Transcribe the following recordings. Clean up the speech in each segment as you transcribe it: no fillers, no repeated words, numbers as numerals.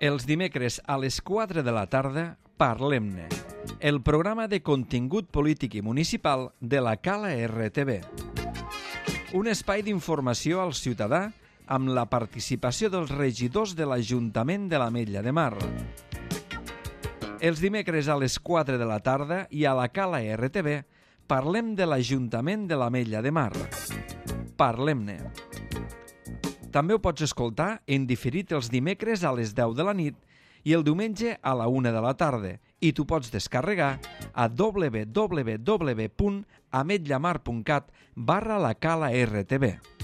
Els dimecres a les 4 de la tarda, Parlem-ne, el programa de contingut polític i municipal de la Cala RTV. Un espai d'informació al ciutadà amb la participació dels regidors de l'Ajuntament de l'Ametlla de Mar. Els dimecres a les 4 de la tarda i a la Cala RTV parlem de l'Ajuntament de l'Ametlla de Mar. Parlem-ne. També ho pots escoltar en diferit els dimecres a les 10 de la nit i el diumenge a la 1 de la tarda i t'ho pots descarregar a www.ametllamar.cat/la Cala RTV.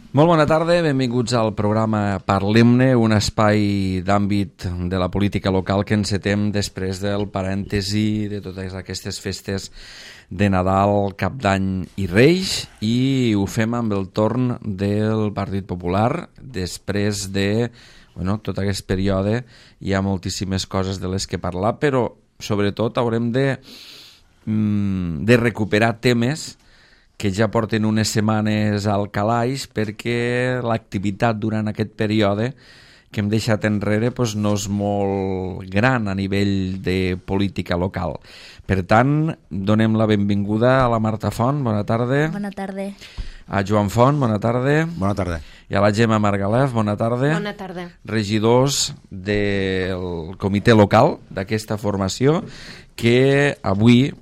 Molt bona tarda, benvinguts al programa Parlem-ne, un espai d'àmbit de la política local que encetem després del parèntesi de totes aquestes festes de Nadal, Cap d'Any i Reis, i ho fem amb el torn del Partit Popular. Després de tot aquest període hi ha moltíssimes coses de les que parlar, però sobretot haurem de recuperar temes que ja porten unes setmanes al calaix perquè l'activitat durant aquest període que hem deixat enrere no és molt gran a nivell de política local. Per tant, donem la benvinguda a la Marta Font, bona tarda. Bona tarda. A Joan Font, bona tarda. Bona tarda. I a la Gemma Margalef, bona tarda. Bona tarda. Regidors del comitè local d'aquesta formació que avui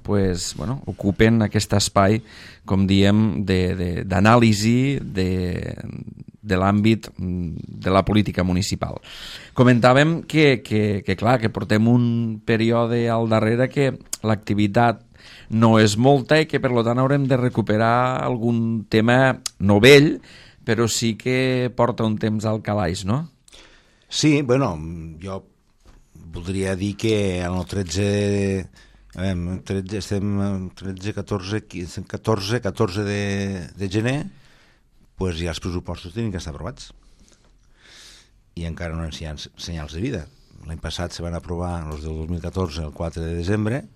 ocupen aquest espai, com diem, d'anàlisi de l'àmbit de la política municipal. Comentàvem que portem un període al darrere que l'activitat no és molta i que per tant haurem de recuperar algun tema no vell, però sí que porta un temps al calaix, no? Sí, jo voldria dir que en el 14, 14 de gener ja els pressupostos tenen que estar aprovats i encara no hi ha senyals de vida. L'any passat se van aprovar els del 2014 el 4 de desembre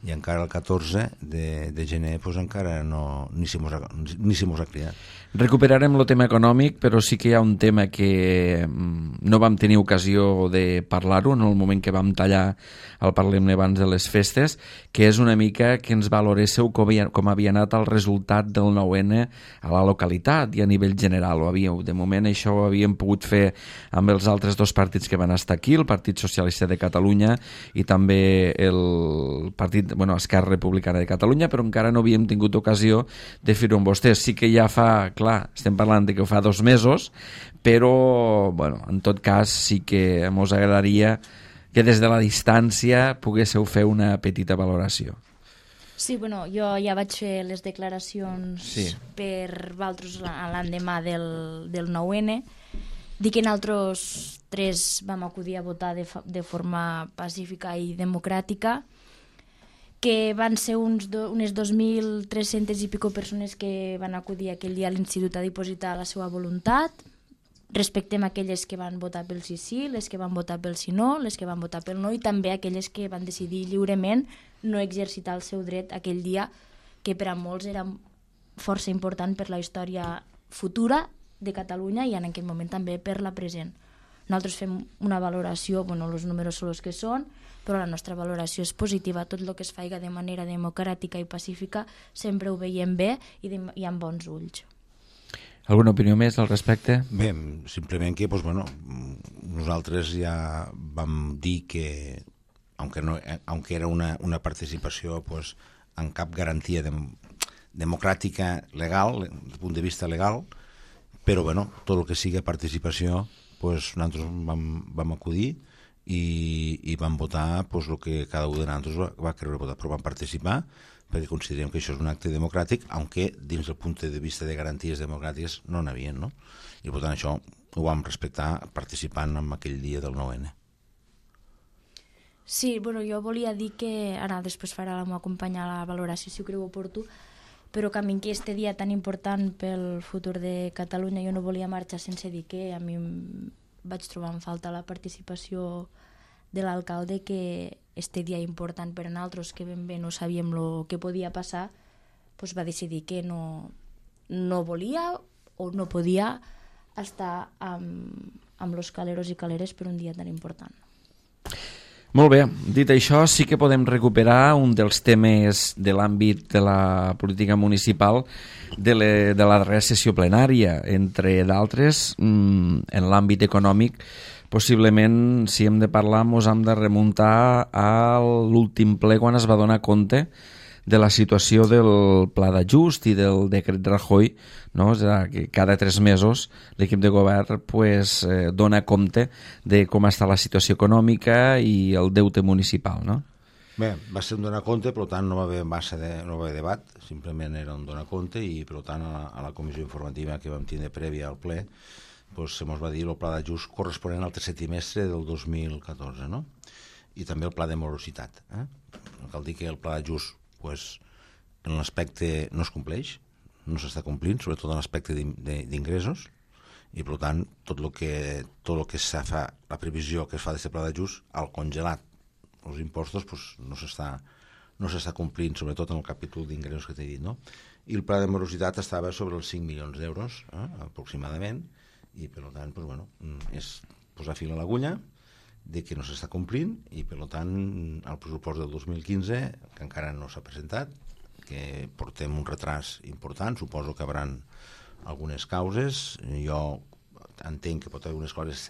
i encara el 14 de gener encara ni se mos ha cridat. Recuperarem el tema econòmic, però sí que hi ha un tema que no vam tenir ocasió de parlar-ho en el moment que vam tallar el Parlem-ne abans de les festes, que és una mica que ens valoréssiu com havia anat el resultat del 9-N a la localitat i a nivell general. De moment això ho havíem pogut fer amb els altres dos partits que van estar aquí, el Partit Socialista de Catalunya i també el Partit Esquerra Republicana de Catalunya, però encara no havíem tingut ocasió de fer-ho amb vostès. Sí que ja estem parlant de que ho fa 2 mesos, però en tot cas sí que ens agradaria que des de la distància poguéssiu fer una petita valoració. Sí, jo ja vaig fer les declaracions per vosaltres l'endemà del 9-N. Dic que nosaltres 3 vam acudir a votar de forma pacífica i democràtica, que van ser unes 2.300 i pico persones que van acudir aquell dia a l'institut a dipositar la seva voluntat. Respectem aquelles que van votar pel sí, les que van votar pel sí no, les que van votar pel no i també aquelles que van decidir lliurement no exercitar el seu dret aquell dia, que per a molts era força important per la història futura de Catalunya i en aquest moment també per la present. Nosaltres fem una valoració, els números són els que són, però la nostra valoració és positiva. Tot el que es faiga de manera democràtica i pacífica sempre ho veiem bé i amb bons ulls. Alguna opinió més al respecte? Bé, simplement que nosaltres ja vam dir que, aunque era una participació amb cap garantia democràtica legal, des del punt de vista legal, però tot el que sigui participació, nosaltres vam acudir i vam votar el que cada un de nosaltres va querer votar, però vam participar perquè considerem que això és un acte democràtic, aunque dins del punt de vista de garanties democràtiques no n'havien, no? I per tant això ho vam respectar participant en aquell dia del 9-N. Sí, jo volia dir que, ara després farà la meva companya la valoració si ho creu oportú, però que a mi aquest dia tan important pel futur de Catalunya jo no volia marxar sense dir que a mi vaig trobar en falta la participació de l'alcalde, que este dia important per a nosaltres, que ben bé no sabíem el que podia passar, doncs va decidir que no volia o no podia estar amb los caleros i caleres per un dia tan important. Molt bé, dit això, sí que podem recuperar un dels temes de l'àmbit de la política municipal de la darrera sessió plenària, entre d'altres, en l'àmbit econòmic. Possiblement, si hem de parlar, ens hem de remuntar a l'últim ple quan es va donar compte de la situació del pla d'ajust i del decret Rajoy, no? És a dir, que cada 3 mesos l'equip de govern dona compte de com està la situació econòmica i el deute municipal, no? Bé, va ser un donar compte, per tant no va haver no va haver debat, simplement era un donar compte i per tant a la comissió informativa que vam tindre prèvia al ple se mos va dir el pla d'ajust corresponent al tercer trimestre del 2014, no? I també el pla de morositat. Cal dir que el pla d'ajust en l'aspecte no es compleix, no s'està complint, sobretot en l'aspecte d'ingressos, i per tant tot el que se fa, la previsió que es fa d'aquest pla d'ajust, al congelat els impostos, no s'està complint, sobretot en el capítol d'ingressos que t'he dit, no? I el pla de morositat estava sobre els 5 milions d'euros, aproximadament, i per tant, és posar fil a l'agulla de que no s'està complint i per tant el pressupost del 2015 que encara no s'ha presentat, que portem un retras important, suposo que hi haurà algunes causes, jo entenc que pot haver algunes coses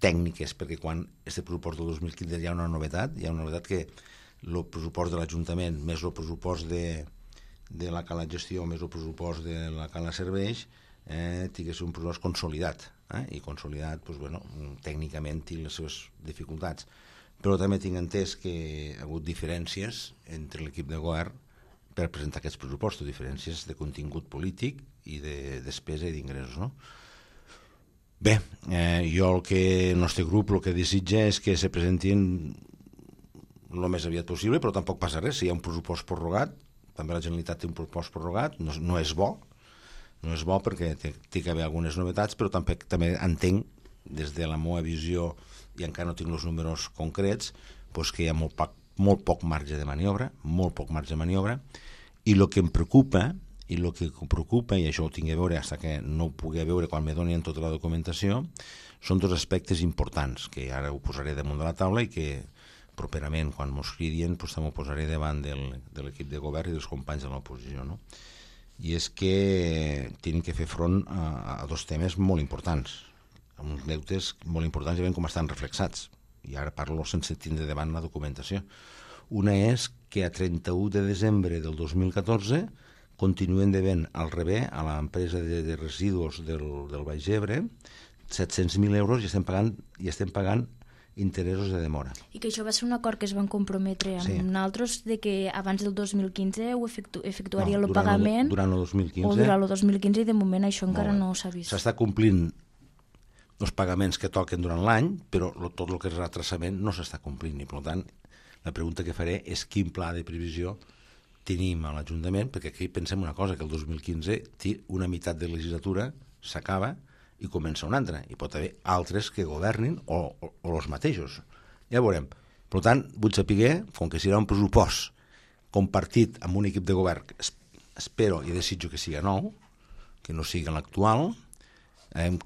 tècniques perquè quan aquest pressupost del 2015 hi ha una novetat que el pressupost de l'Ajuntament més el pressupost de la Cala Gestió més el pressupost de la Cala Serveis tingués un pressupost consolidat, i consolidat tècnicament té les seves dificultats, però també tinc entès que hi ha hagut diferències entre l'equip de govern per presentar aquests pressupostos, diferències de contingut polític i de despesa i d'ingressos, no? Bé, jo el nostre grup el que desitja és que se presentin el més aviat possible, però tampoc passa res, si hi ha un pressupost prorrogat, també la Generalitat té un pressupost prorrogat, no és bo, perquè té que haver algunes novetats, però també entenc, des de la meva visió, i encara no tinc els números concrets, que hi ha molt poc marge de maniobra, i el que em preocupa, i això ho tinc a veure fins que no ho pugui veure quan me donin tota la documentació, són 2 aspectes importants, que ara ho posaré damunt de la taula i que properament, quan m'ho cridien, també ho posaré davant de l'equip de govern i dels companys de l'oposició, no? I és que tenen que fer front a 2 temes molt importants, amb uns deutes molt importants i veiem com estan reflexats, i ara parlo sense tindre davant la documentació. Una és que a 31 de desembre del 2014 continuen devent al rebé a l'empresa de residus del Baix Ebre 700.000 euros i estem pagant interessos de demora. I que això va ser un acord que es van comprometre amb nosaltres de que abans del 2015 ho efectuaria el pagament durant el 2015 o durant el 2015 i de moment això encara no s'ha vist. S'està complint els pagaments que toquen durant l'any, però tot el que és retrasament no s'està complint i per tant la pregunta que faré és quin pla de previsió tenim a l'Ajuntament, perquè aquí pensem una cosa, que el 2015 una meitat de legislatura s'acaba i comença una altra, i pot haver altres que governin o els mateixos. Ja veurem. Per tant, vull saber, com que serà un pressupost compartit amb un equip de govern, espero i desitjo que siga nou, que no sigui l'actual,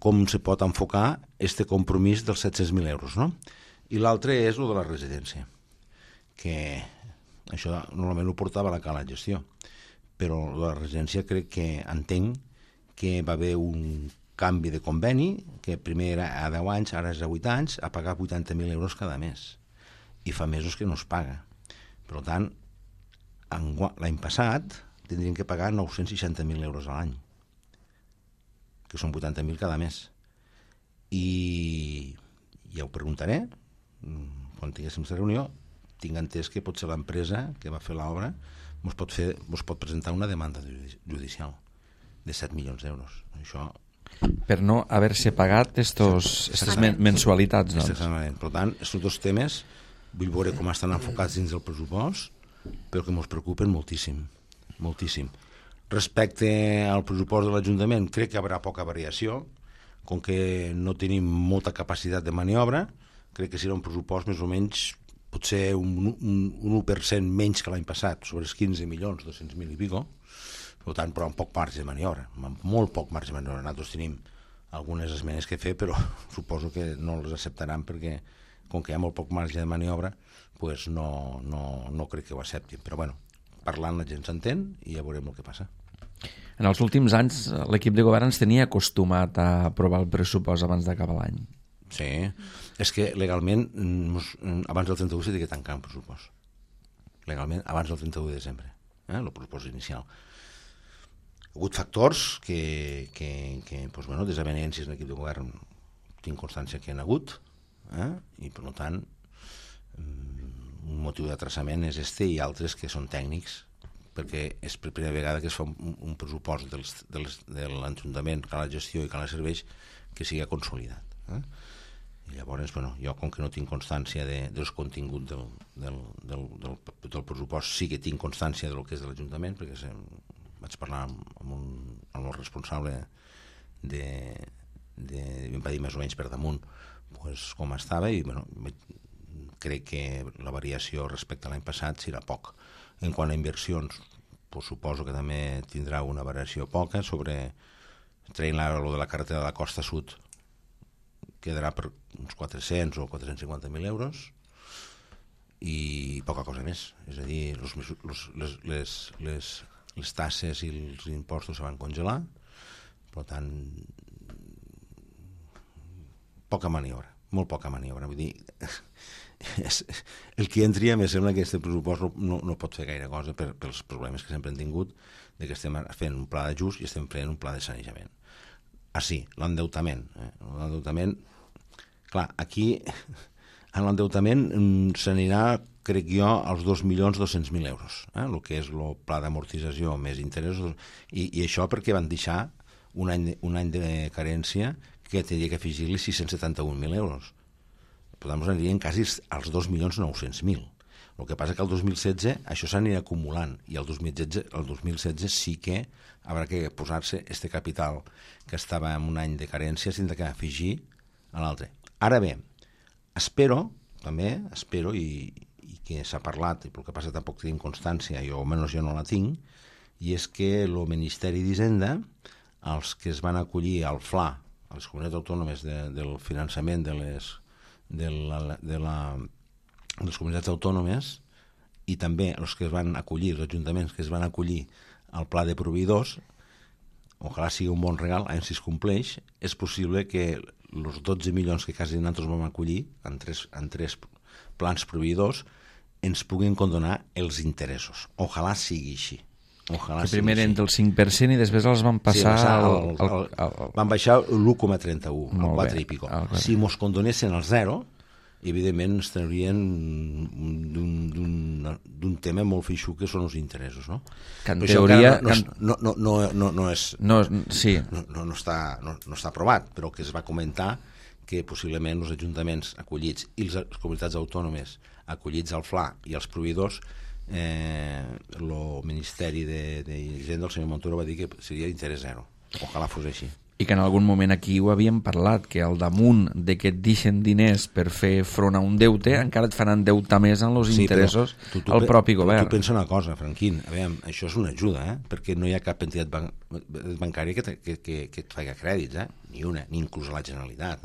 com se pot enfocar este compromís dels 700.000 euros, no? I l'altre és el de la residència, que això normalment ho portava la Cala Gestió, però la residència crec que entenc que va haver un canvi de conveni, que primer era a 10 anys, ara és a 8 anys, a pagar 80.000 euros cada mes. I fa mesos que no es paga. Per tant, l'any passat tindrien que pagar 960.000 euros a l'any, que són 80.000 cada mes. I ja ho preguntaré, quan tinguéssim la reunió, tinc entès que potser l'empresa que va fer l'obra ens pot presentar una demanda judicial de 7 milions d'euros. Això per no haver-se pagat aquestes mensualitats. Exactament. Per tant, aquests 2 temes vull veure com estan enfocats dins del pressupost, però que ens preocupen moltíssim. Respecte al pressupost de l'Ajuntament, crec que hi haurà poca variació, com que no tenim molta capacitat de maniobra, crec que serà un pressupost més o menys potser un 1% menys que l'any passat, sobre els 15 milions, 200.000 i pico, per tant, però amb poc marge de maniobra, amb molt poc marge de maniobra. Nosaltres tenim algunes esmenes que fer, però suposo que no les acceptaran perquè, com que hi ha molt poc marge de maniobra, pues no crec que ho acceptin. Però bueno, parlant la gent s'entén i ja veurem el que passa. En els últims anys l'equip de govern ens tenia acostumat a aprovar el pressupost abans d'acabar l'any. Sí, és que legalment abans del 31 s'ha de tancar un pressupost. Legalment abans del 31 de desembre, el pressupost inicial. Hi ha hagut factors que doncs, bueno, desavenències en l'equip de govern tinc constància que hi ha hagut, i per tant un motiu d'atrasament és i altres que són tècnics, perquè és per primera vegada que es fa un pressupost de l'Ajuntament que la gestió i que la serveix que sigui consolidat. I llavors, bueno, jo com que no tinc constància dels continguts del pressupost, sí que tinc constància del que és de l'Ajuntament, perquè vaig parlar amb el responsable em va dir més o menys per damunt pues, com estava, i bueno, crec que la variació respecte a l'any passat serà poc. En quant a inversions, pues, suposo que també tindrà una variació poca. Traient ara lo de la carretera de la Costa Sud, quedarà per uns 400 o 450.000 euros i poca cosa més. És a dir, les tasses i els impostos se van congelar, per tant, poca maniobra, molt poca maniobra. Vull dir, el que entria, me sembla que aquest pressupost no pot fer gaire cosa pels problemes que sempre hem tingut, de que estem fent un pla d'ajust i estem fent un pla de sanejament. Sí, l'endeutament. L'endeutament, clar, aquí en l'endeutament s'anirà, crec jo, als 2.200.000 euros, el que és el pla d'amortització més interessos, i això perquè van deixar un any de carència que tenia que afegir-li 671.000 euros. Per tant, anirien quasi als 2.900.000. El que passa que el 2016 això s'anirà acumulant, i el 2016 sí que haurà que posar-se este capital que estava en un any de carència, s'ha de afegir a l'altre. Ara bé, espero, i que s'ha parlat, i pel que passa tampoc tenim constància, o almenys jo no la tinc, i és que el Ministeri d'Hisenda, els que es van acollir al FLA, a les comunitats autònomes del finançament de les comunitats autònomes, i també els que es van acollir, els ajuntaments que es van acollir al pla de proveïdors, ojalà sigui un bon regal, si es compleix, és possible que els 12 milions que quasi nosaltres vam acollir en tres plans proveïdors ens puguin condonar els interessos. Ojalà sigui així. Que primer eren del 5% i després els van passar van baixar l'1,31, al 4 i pico. Si mos condonessin el 0, evidentment ens traurien d'un tema molt feixuc que són els interessos, no? Que en teoria no està aprovat, però que es va comentar que possiblement els ajuntaments acollits i les comunitats autònomes acollits al FLA i els proveïdors, el Ministeri d'Hisenda, el senyor Montoro, va dir que seria d'interès zero. Ojalà fos així. I que en algun moment aquí ho havíem parlat, que al damunt de que et deixen diners per fer front a un deute, encara et faran endeutar més en els interessos al propi govern. Tu pensa una cosa, Franquín, això és una ajuda, perquè no hi ha cap entitat bancària que et faci crèdits, ni una, ni inclús a la Generalitat,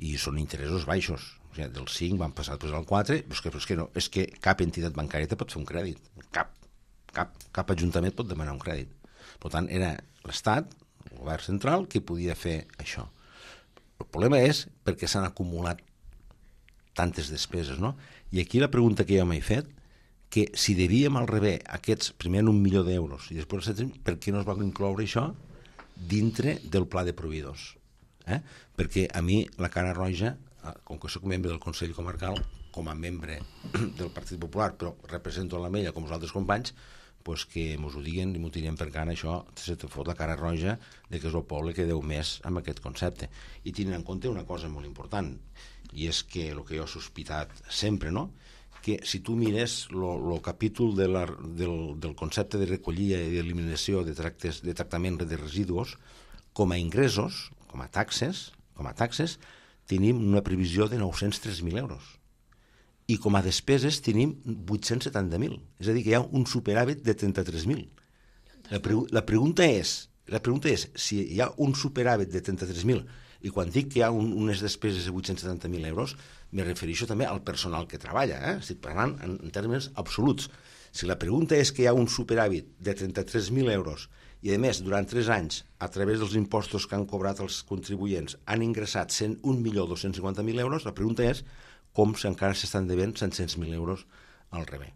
i són interessos baixos. O sigui, del 5 van passar després al 4, però és que cap entitat bancària te pot fer un crèdit, cap ajuntament pot demanar un crèdit. Per tant, era l'Estat, el govern central, que podia fer això. El problema és perquè s'han acumulat tantes despeses, no? I aquí la pregunta que jo m'he fet, que si devíem al revés aquests, primer en 1 milió d'euros i després per què no es va incloure això dintre del pla de proveïdors? Perquè a mi la cara roja, com que soc membre del Consell Comarcal, com a membre del Partit Popular, però represento la Mella com els altres companys, pues que mos ho diguen i m'ho tirem per cara, això se te fot la cara roja de que és el poble que deu més amb aquest concepte. I tenint en compte una cosa molt important, i és que el que jo he sospitat sempre, no?, que si tu mires el capítol del concepte de recollida i d'eliminació de tractament de residus, com a ingressos, com a taxes, tenim una previsió de 903.000 euros. i com a despeses tenim 870.000. És a dir, que hi ha un superàvit de 33.000. La pregunta és, si hi ha un superàvit de 33.000, i quan dic que hi ha unes despeses de 870.000 euros, me refereixo també al personal que treballa, estic parlant en termes absoluts. Si la pregunta és que hi ha un superàvit de 33.000 euros i, a més, durant 3 anys, a través dels impostos que han cobrat els contribuents, han ingressat 1.250.000 euros, la pregunta és com si encara s'estan devent 700.000 euros al rebé.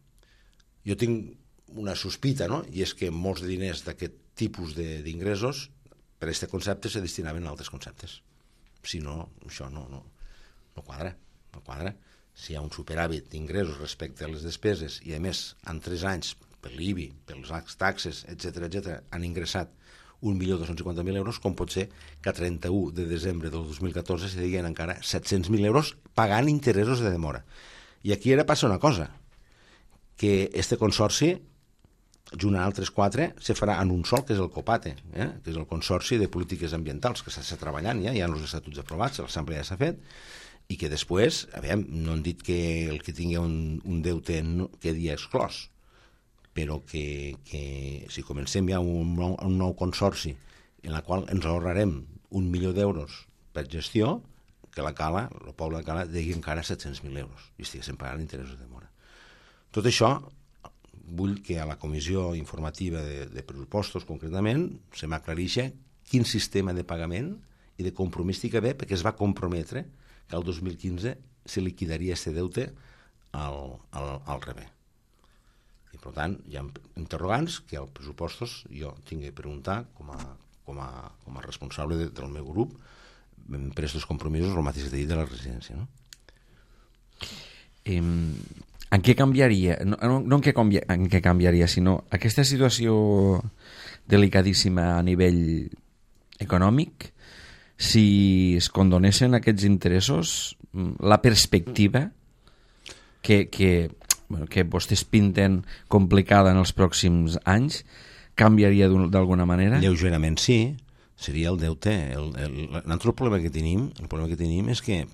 Jo tinc una sospita, no? I és que molts de diners d'aquest tipus d'ingressos per a aquest concepte se destinaven a altres conceptes. Si no, això no quadra. No quadra. Si hi ha un superàvit d'ingressos respecte a les despeses i, a més, en 3 anys, per l'IBI, per les taxes, etc., han ingressat 1.250.000 euros, com pot ser que a 31 de desembre del 2014 se deien encara 700.000 euros pagant interessos de demora. I aquí ara passa una cosa, que este consorci, junt a altres 4, se farà en un sol, que és el COPATE, que és el Consorci de Polítiques Ambientals, que s'està treballant ja, hi ha els estatuts aprovats, l'assemblea ja s'ha fet, i que després, no han dit que el que tingui un deute quedi exclòs, però que si comencem ja un nou consorci en el qual ens ahorrarem 1 milió d'euros per gestió, que la Cala, el poble de Cala, degui encara 700.000 euros i estiguéssim pagant interessos de demora. Tot això, vull que a la comissió informativa de pressupostos, concretament, se m'aclareixi quin sistema de pagament i de compromís hi que ve, perquè es va comprometre que el 2015 se liquidaria aquest deute al rebé. I, per tant, hi ha interrogants que als pressupostos jo tinc de preguntar com a responsable del meu grup per aquests compromisos, el mateix que t'he dit de la residència. No? En què canviaria? No en què canviaria, sinó aquesta situació delicadíssima a nivell econòmic, si es condonessin aquests interessos, la perspectiva que vostès pinten complicada en els pròxims anys, canviaria d'alguna manera? Lleugerament sí, seria el deute. L'altre problema que tenim és que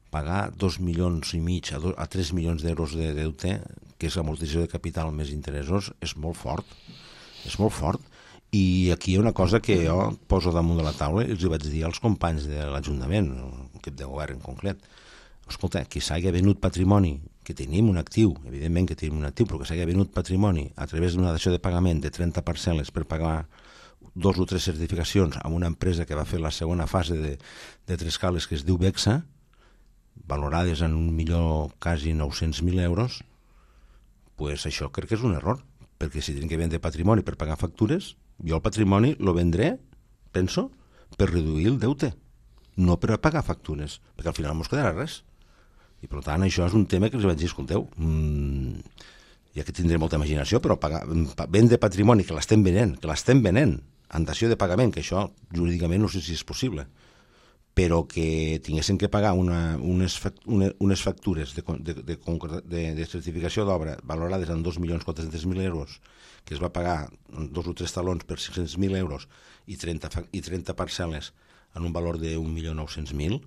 pagar 2,5 milions a 3 milions d'euros de deute, que és l'amortització de capital més interessos, és molt fort. És molt fort. I aquí hi ha una cosa que jo poso damunt de la taula i els vaig dir als companys de l'Ajuntament, l'equip de govern en concret. Escolta, que s'hagi venut patrimoni, que tenim un actiu, evidentment que tenim un actiu, però que s'hagi venut patrimoni a través d'una dació de pagament de 30 parcel·les per pagar 2 o 3 certificacions amb una empresa que va fer la segona fase de 3 cales que es diu Bexa, valorades en 1.900.000 euros, pues això crec que és un error, perquè si tenen que vendre patrimoni per pagar factures, jo el patrimoni lo vendré, penso, per reduir el deute, no per pagar factures, perquè al final no ens quedarà res. I per tant això és un tema que els vaig dir, escolteu, ja que tindré molta imaginació, però vendre patrimoni que l'estem venent, en dació de pagament, que això jurídicament no sé si és possible, però que tinguessin que pagar unes factures de certificació d'obra valorades en 2.400.000 euros, que es va pagar 2 o 3 talons per 600.000 euros i 30 parcel·les en un valor de 1.900.000,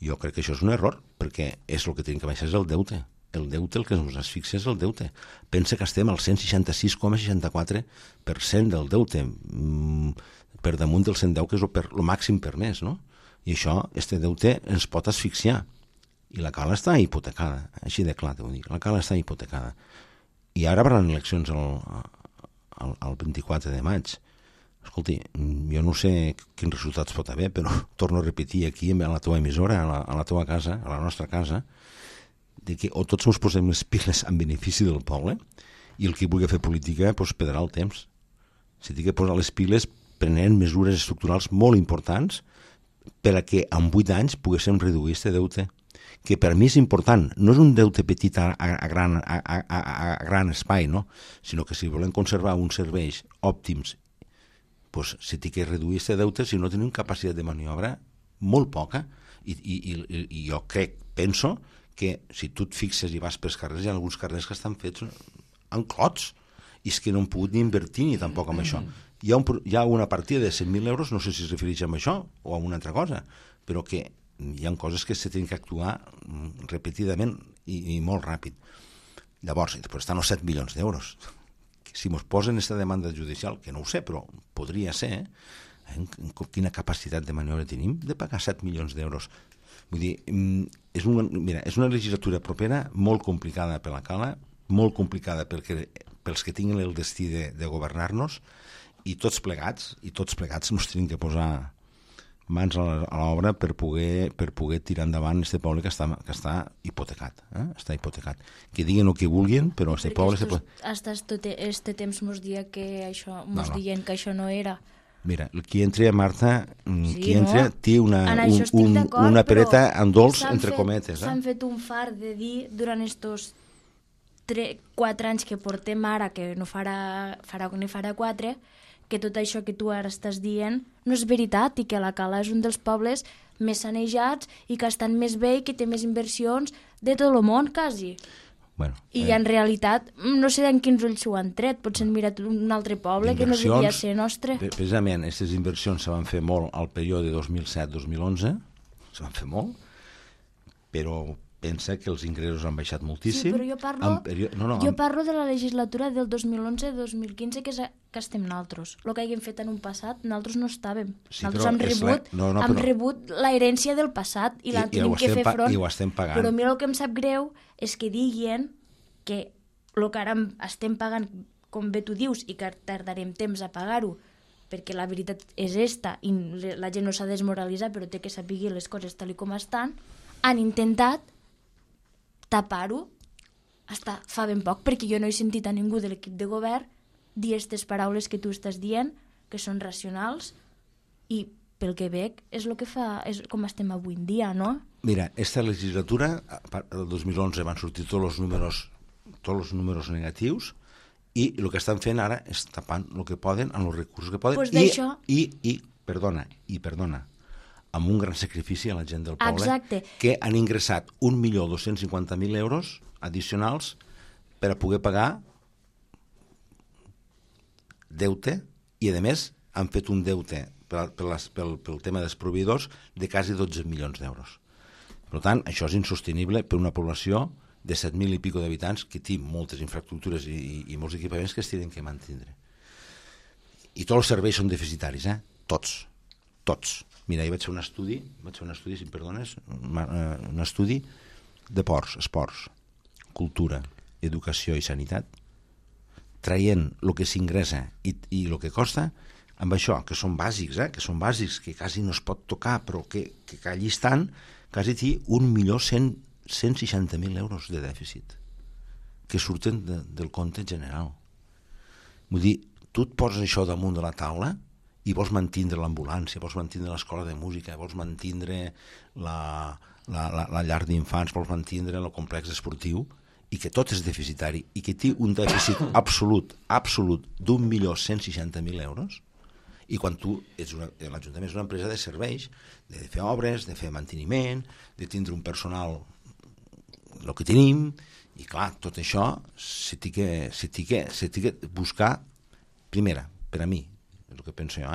jo crec que això és un error, perquè és el que tenim que baixar és el deute. El deute, el que ens asfixia és el deute. Pensa que estem al 166,64% del deute, per damunt del 110, que és el màxim permès, no? I això, este deute, ens pot asfixiar. I la Cala està hipotecada, així de clar, t'ho dic. La Cala està hipotecada. I ara van eleccions el 24 de maig. Escolti, jo no sé quins resultats pot haver, però torno a repetir aquí a la teva emissora, a la teva casa, a la nostra casa, de que o tots ens posem les piles en benefici del poble i el que vulgui fer política perdrà el temps. Si té que posar les piles prenent mesures estructurals molt importants per a que en 8 anys poguéssim reduir aquest deute, que per mi és important. No és un deute petit a gran espai, no? Sinó que si volem conservar uns serveis òptims, doncs si té que reduir aquest deute, si no tenim capacitat de maniobra molt poca, i jo penso que si tu et fixes i vas pels carrers, hi ha alguns carrers que estan fets en clots, i és que no han pogut ni invertir ni tampoc amb això. Hi ha una partida de 100.000 euros, no sé si es refereix a això o a una altra cosa, però que hi ha coses que se tenen que actuar repetidament i molt ràpid. Llavors, després estan els 7 milions d'euros. Si mos posen aquesta demanda judicial, que no ho sé, però podria ser, quina capacitat de maniobra tenim de pagar 7 milions d'euros. Vull dir, és una legislatura propera molt complicada per la Cala, molt complicada pels que tinguin el destí de governar-nos, i tots plegats ens tenim que posar mans a l'obra per poder tirar endavant aquest poble que està hipotecat. Està hipotecat. Que diguin el que vulguin, però aquest poble... Hasta este temps mos diuen que això no era. Mira, qui entra, Marta, té una pereta amb dolç entre cometes. S'han fet un far de dir durant estos 4 anys que portem ara, que no farà 4, que tot això que tu ara estàs dient no és veritat i que la Cala és un dels pobles més sanejats i que estan més bé i que té més inversions de tot el món, quasi. Bueno, I en realitat no sé en quins ulls s'ho han tret, potser han mirat un altre poble que no devia ser nostre. Precisament, aquestes inversions se van fer molt al període 2007-2011, se van fer molt, però pensa que els ingressos han baixat moltíssim. Sí, però jo parlo de la legislatura del 2011-2015 que estem nosaltres. El que haguem fet en un passat, nosaltres no estàvem. Sí, nosaltres hem rebut l'herència del passat i la tenim que fer front. I ho estem pagant. Però a mi el que em sap greu és que diguin que el que ara estem pagant, com bé tu dius, i que tardarem temps a pagar-ho, perquè la veritat és esta, i la gent no s'ha desmoralitzat, però té que saber les coses tal com estan, han intentat tapar-ho hasta fa ben poc, perquè jo no he sentit a ningú de l'equip de govern dir aquestes paraules que tu estàs dient, que són racionals, i pel que veig és el que fa, és com estem avui en dia, no? Mira, esta legislatura, el 2011 van sortir tots els números negatius, i el que estan fent ara és tapant el que poden amb els recursos que poden, i perdona, amb un gran sacrifici a la gent del poble. Exacte. Que han ingressat 1.250.000 euros addicionals per a poder pagar deute, i a més han fet un deute pel tema dels proveïdors de quasi 12 milions d'euros. Per tant, això és insostenible per una població de 7.000 i pico d'habitants que té moltes infraestructures i molts equipaments que es tenen que mantindre. I tots els serveis són deficitaris, tots. Mira, ahir vaig fer un estudi, si em perdones, un estudi de ports, esports, cultura, educació i sanitat, traient el que s'ingressa i el que costa, amb això, que són bàsics, que quasi no es pot tocar, però que allí estan, quasi té 1.160.000 euros de dèficit, que surten del compte general. Vull dir, tu et poses això damunt de la taula i vols mantindre l'ambulància, vols mantindre l'escola de música, vols mantindre la llar d'infants, vols mantindre el complex esportiu, i que tot és deficitari, i que té un dèficit absolut d'1.160.000 euros, i quan tu l'Ajuntament és una empresa de serveis, de fer obres, de fer manteniment, de tindre un personal, el que tenim, i clar, tot això s'ha de buscar, primera, per a mi, és el que penso jo,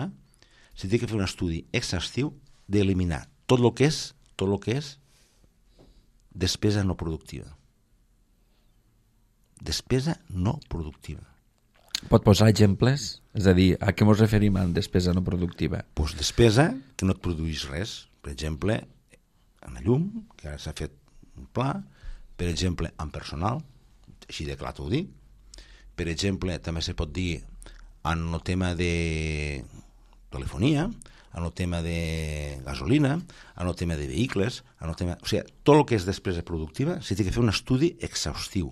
s'ha de fer un estudi exhaustiu d'eliminar tot el que és despesa no productiva. Despesa no productiva. Pot posar exemples? És a dir, a què ens referim amb despesa no productiva? Doncs despesa que no et produeix res. Per exemple, en la llum, que ara s'ha fet un pla, per exemple, en personal, així de clar t'ho dic. Per exemple, també se pot dir en el tema de telefonia, en el tema de gasolina, en el tema de vehicles, en el tema... O sigui, tot el que és despesa productiva s'ha de fer un estudi exhaustiu.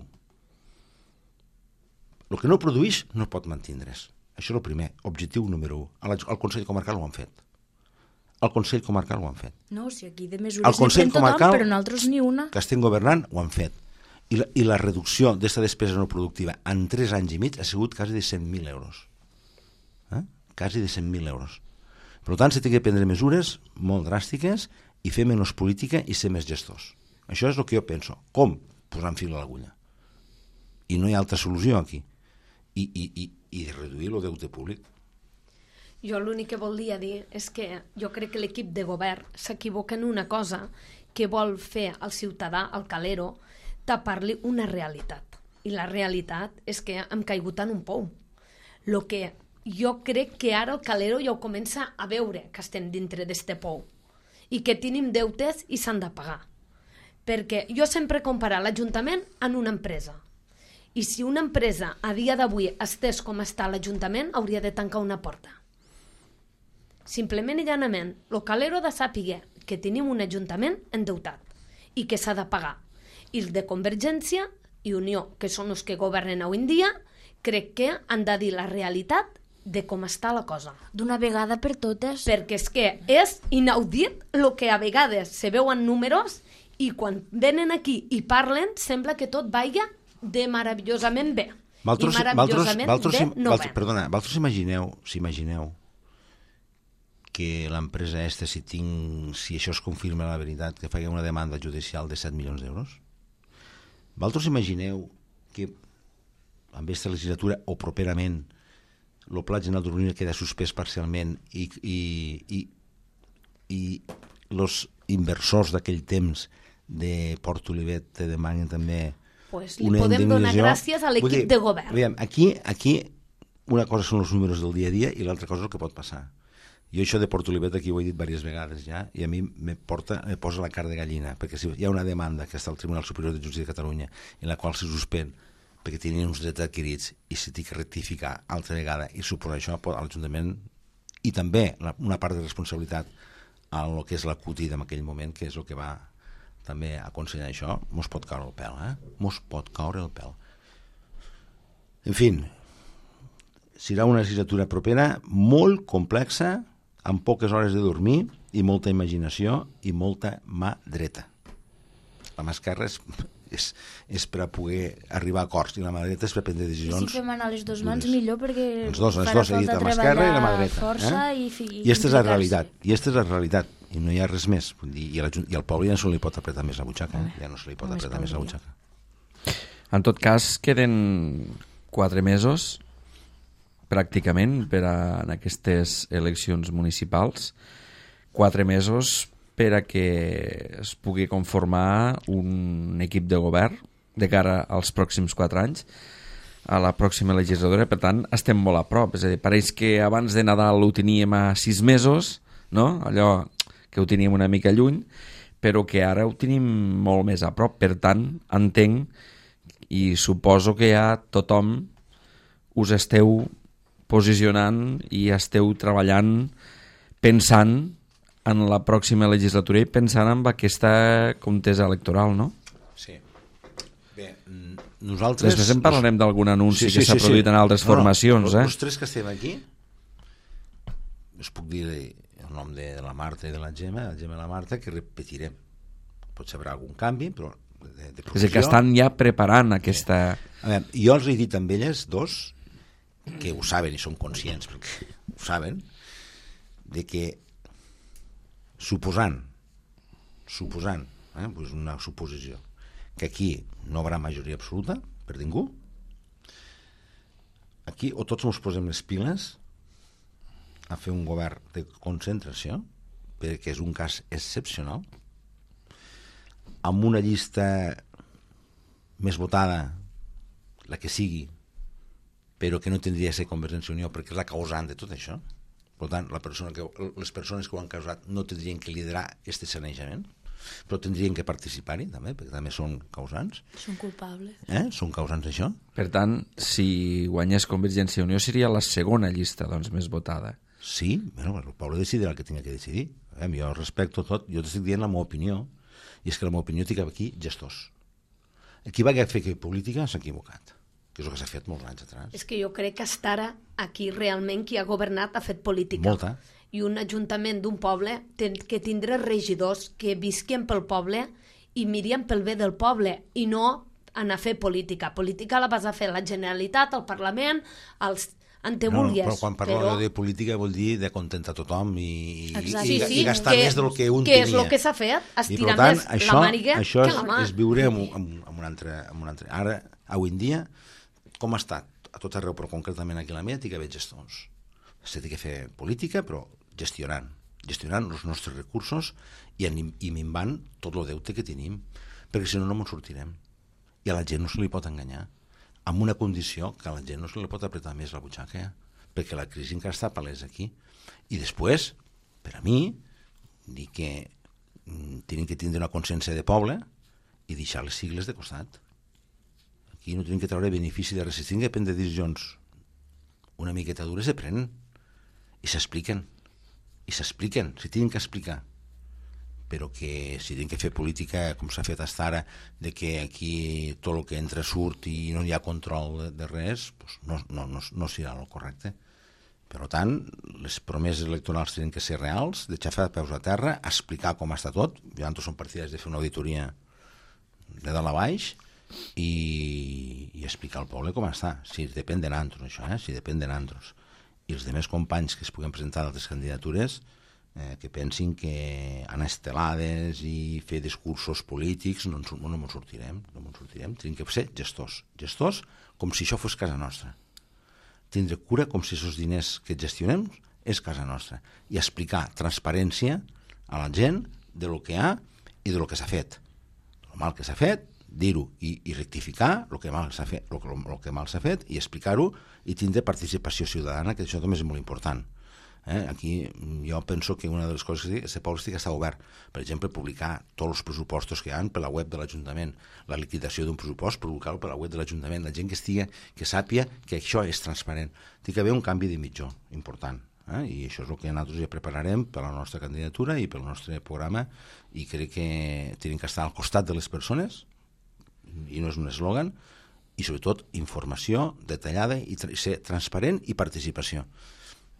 El que no produeix no pot mantindre's. Això és el primer, objectiu número 1. Al Consell Comarcal ho han fet. No, si aquí de mesures n'hi fem tothom, però nosaltres ni una. Que estem governant, ho han fet. I la reducció d'aquesta despesa no productiva en 3 anys i mig ha sigut quasi de 100.000 euros. Quasi de 100.000 euros. Per tant, s'ha de prendre mesures molt dràstiques i fer menys política i ser més gestors. Això és el que jo penso. Com? Posant fil a l'agulla. I no hi ha altra solució aquí. I reduir el deute públic. Jo l'únic que volia dir és que jo crec que l'equip de govern s'equivoca en una cosa, que vol fer al ciutadà, al calero, tapar-li una realitat. I la realitat és que hem caigut en un pou. Lo que jo crec que ara el Calero ja ho comença a veure, que estem dintre d'este pou i que tenim deutes i s'han de pagar. Perquè jo sempre comparo l'Ajuntament amb una empresa. I si una empresa a dia d'avui estés com està l'Ajuntament, hauria de tancar una porta. Simplement i llanament, el Calero ha de saber que tenim un Ajuntament endeutat i que s'ha de pagar. I el de Convergència i Unió, que són els que governen avui en dia, crec que han de dir la realitat de com està la cosa. D'una vegada per totes. Perquè és que és inaudit el que a vegades se veuen números i quan venen aquí i parlen sembla que tot vaya de meravellosament bé. I meravellosament bé no ve. Perdona, vosaltres imagineu que l'empresa aquesta, si això es confirma la veritat, que faci una demanda judicial de 7 milions d'euros? Vosaltres imagineu que en aquesta legislatura o properament el Pla General d'Urbanisme queda suspès parcialment i els inversors d'aquell temps de Port Olivet te demanen també li podem donar gràcies a l'equip de govern. Veiem, aquí una cosa són els números del dia a dia i l'altra cosa és el que pot passar. Jo això de Port Olivet aquí ho he dit diverses vegades ja i a mi me posa la cara de gallina, perquè si hi ha una demanda que està al Tribunal Superior de Justícia de Catalunya en la qual se suspèn perquè tenien uns drets adquirits i se té que rectificar altra vegada i suposar això a l'Ajuntament i també una part de responsabilitat a el que és la CUTI en aquell moment, que és el que va també aconsellar això, mos pot caure el pèl, mos pot caure el pèl. En fi, serà una legislatura propera molt complexa, amb poques hores de dormir i molta imaginació i molta mà dreta. La mà esquerra és per a poder arribar a acords i la mà dreta és per prendre decisions. I si fem anar les dues mans millor perquè les dos, he dit la mà esquerra i la mà dreta. Força i aquesta és la realitat. I aquesta és la realitat. I no hi ha res més. I al poble ja no se li pot apretar més la butxaca. Ja no se li pot apretar més la butxaca. En tot cas, queden 4 mesos pràcticament en aquestes eleccions municipals. 4 mesos per a que es pugui conformar un equip de govern de cara als pròxims 4 anys, a la pròxima legislatura. Per tant, estem molt a prop. És a dir, pareix que abans de Nadal ho teníem a 6 mesos, no? Allò que ho teníem una mica lluny, però que ara ho tenim molt més a prop. Per tant, entenc i suposo que ja tothom us esteu posicionant i esteu treballant pensant en la pròxima legislatura i pensant en aquesta contesa electoral, no? Sí. Bé, nosaltres... Després en parlarem d'algun anunci que s'ha produït en altres formacions. Els 3 que estem aquí, us puc dir el nom de la Marta i de la Gemma i la Marta, que repetirem. Potser hi haurà algun canvi, però de és a dir, que estan ja preparant aquesta... A veure, jo els he dit amb elles dos, que ho saben i són conscients, perquè ho saben, de que suposant, doncs una suposició, que aquí no hi haurà majoria absoluta per ningú, aquí o tots ens posem les piles a fer un govern de concentració, perquè és un cas excepcional, amb una llista més votada, la que sigui, però que no tindria de ser Convergència i Unió perquè és la causant de tot això. Per tant, les persones que ho han causat no tindrien que liderar aquest sanejament, però tindrien que participar-hi també, perquè també són causants. Són culpables. Són causants d'això. Per tant, si guanyés Convergència i Unió seria la segona llista més votada. Sí, bueno, el poble decidirà el que tingui que decidir. Jo respecto tot, jo t'estic dient la meva opinió, i és que la meva opinió té aquí gestors. Qui va fer política s'ha equivocat, que és el que s'ha fet molts anys atrás. És que jo crec que hasta ara aquí realment qui ha governat ha fet política. Molta. I un ajuntament d'un poble té que tindre regidors que visquin pel poble i mirien pel bé del poble i no anar a fer política. Política la vas a fer la Generalitat, el Parlament, els antevulgues. Però quan parlo de política vol dir de contentar tothom i gastar que, més del que un que tenia. És el que s'ha fet, estirar tant, més la màniga que la mà. Això és viure amb un altre... Ara, avui en dia, com ha estat a tot arreu, però concretament aquí a la meva, té que haver gestors. S'ha de fer política, però gestionant els nostres recursos i minvant tot el deute que tenim, perquè si no, no ens sortirem. i a la gent no se li pot enganyar, amb una condició que a la gent no se li pot apretar més la butxaca, perquè la crisi encara està palesa aquí. I després, per a mi, dir que tenen que tindre una consciència de poble i deixar les sigles de costat. Aquí no tenen que treure benefici de res, si tenen que prendre decisions una miqueta dures, se prenen i s'expliquen, si tenen que explicar, però que si tenen que fer política com s'ha fet fins ara, de que aquí tot el que entra surt i no hi ha control de res, doncs no serà el correcte. Per tant, les promeses electorals tenen que ser reals, de xafar peus a terra, explicar com està tot. Nosaltres som partidaris de fer una auditoria de dalt a baix i explicar al poble com està. Si depèn de nosaltres, això, si depèn de nosaltres. I els demés companys que es puguen presentar d'altres candidatures que pensin que anar estelades i fer discursos polítics no ens sortirem. Tenim que ser gestors com si això fos casa nostra. Tindre cura com si aquests diners que gestionem és casa nostra i explicar transparència a la gent de lo que hi ha i de lo que s'ha fet. El mal que s'ha fet, dir-ho i rectificar el que mal s'ha fet, i explicar-ho i tindre participació ciutadana, que això també és molt important. Aquí jo penso que una de les coses que el poble estigui està obert. Per exemple, publicar tots els pressupostos que hi ha per la web de l'Ajuntament, la liquidació d'un pressupost, publicar-lo per la web de l'Ajuntament, la gent que sàpia que això és transparent. Té que haver un canvi de mitjó important, i això és el que nosaltres ja prepararem per la nostra candidatura i pel nostre programa, i crec que tenim que estar al costat de les persones, i no és un eslògan, i sobretot informació detallada i ser transparent i participació.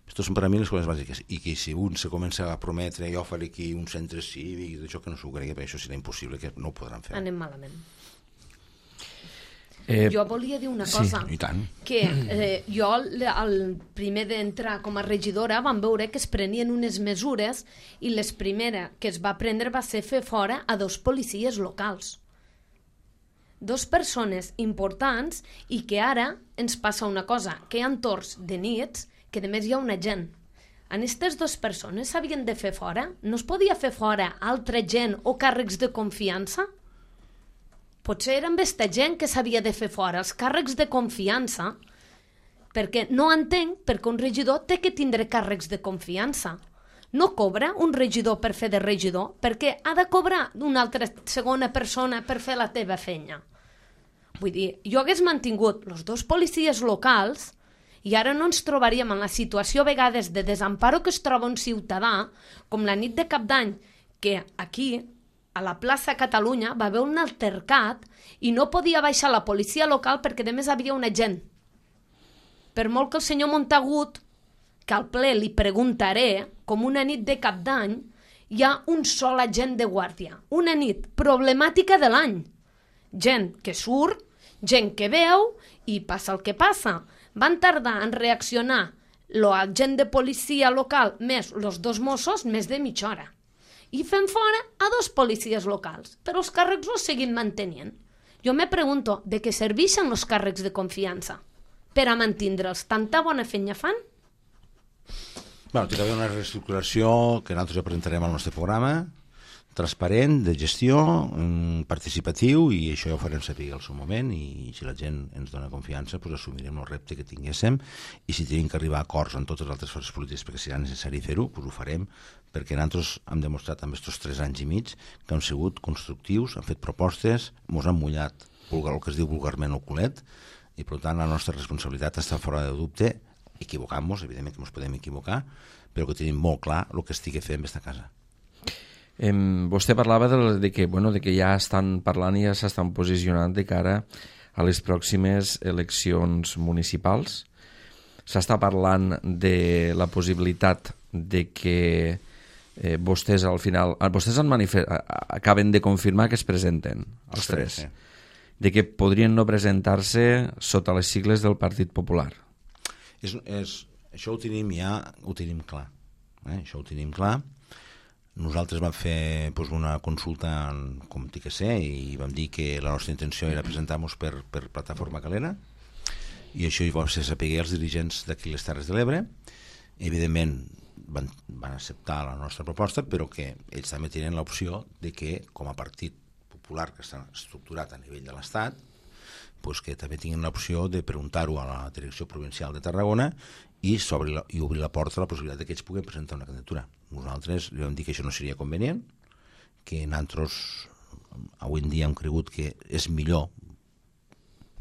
Aquestes són per a mi les coses bàsiques, i que si un se comença a prometre jo faré aquí un centre cívic, d'això que no s'ho cregui, perquè això serà impossible, que no ho podran fer. Anem malament. Jo volia dir una cosa, i tant. Que jo al primer d'entrar com a regidora vam veure que es prenien unes mesures i les primeres que es va prendre va ser fer fora a 2 policies locals. 2 persones importants, i que ara ens passa una cosa, que hi ha torns de nits que a més hi ha un agent. En aquestes 2 persones s'havien de fer fora? No es podia fer fora altra gent o càrrecs de confiança? Potser era amb aquesta gent que s'havia de fer fora, els càrrecs de confiança, perquè no entenc perquè un regidor té que tindre càrrecs de confiança. No cobra un regidor per fer de regidor, perquè ha de cobrar una altra segona persona per fer la teva feina. Vull dir, jo hagués mantingut els 2 policies locals i ara no ens trobaríem en la situació a vegades de desamparo que es troba un ciutadà, com la nit de Cap d'Any, que aquí, a la plaça Catalunya, va haver un altercat i no podia baixar la policia local perquè a més havia un agent. Per molt que el senyor Montagut, que al ple li preguntaré, com una nit de Cap d'Any, hi ha un sol agent de guàrdia. Una nit problemàtica de l'any. Gent que surt, gent que veu i passa el que passa. Van tardar en reaccionar l'agent de policia local més els 2 Mossos més de mitja hora. I fem fora a 2 policies locals, però els càrrecs no seguim mantenint. Jo me pregunto, de què serveixen els càrrecs de confiança? Per a mantindre'ls tanta bona feina fan? Té que haver una reestructuració que nosaltres ja presentarem al nostre programa, transparent, de gestió, participatiu, i això ja ho farem saber al seu moment, i si la gent ens dona confiança, doncs assumirem el repte que tinguéssim, i si tenim que arribar a acords amb totes les altres forces polítiques perquè serà necessari fer-ho, doncs ho farem, perquè nosaltres hem demostrat amb aquests 3 anys i mig que hem sigut constructius, hem fet propostes, ens han mullat el que es diu vulgarment el culet, i per tant la nostra responsabilitat està fora de dubte, equivocant-nos, evidentment que ens podem equivocar, però que tenim molt clar el que estigui fent en aquesta casa. Vostè parlava de que ja estan parlant i ja s'estan posicionant de cara a les pròximes eleccions municipals. S'està parlant de la possibilitat de que vostès al final... Vostès acaben de confirmar que es presenten, els 3. Sí. De que podrien no presentar-se sota les sigles del Partit Popular. Això ho tenim clar. Això ho tenim clar. Nosaltres vam fer una consulta com TIC i vam dir que la nostra intenció era presentar-nos per Plataforma Calera, i això hi va ser saber els dirigents d'aquí les Terres de l'Ebre. Evidentment van acceptar la nostra proposta, però que ells també tenen l'opció de que com a partit popular que està estructurat a nivell de l'Estat, pues, que també tinguin l'opció de preguntar-ho a la Direcció Provincial de Tarragona i obrir la porta a la possibilitat que ells puguin presentar una candidatura. Nosaltres li vam dir que això no seria convenient, que nosaltres avui en dia hem cregut que és millor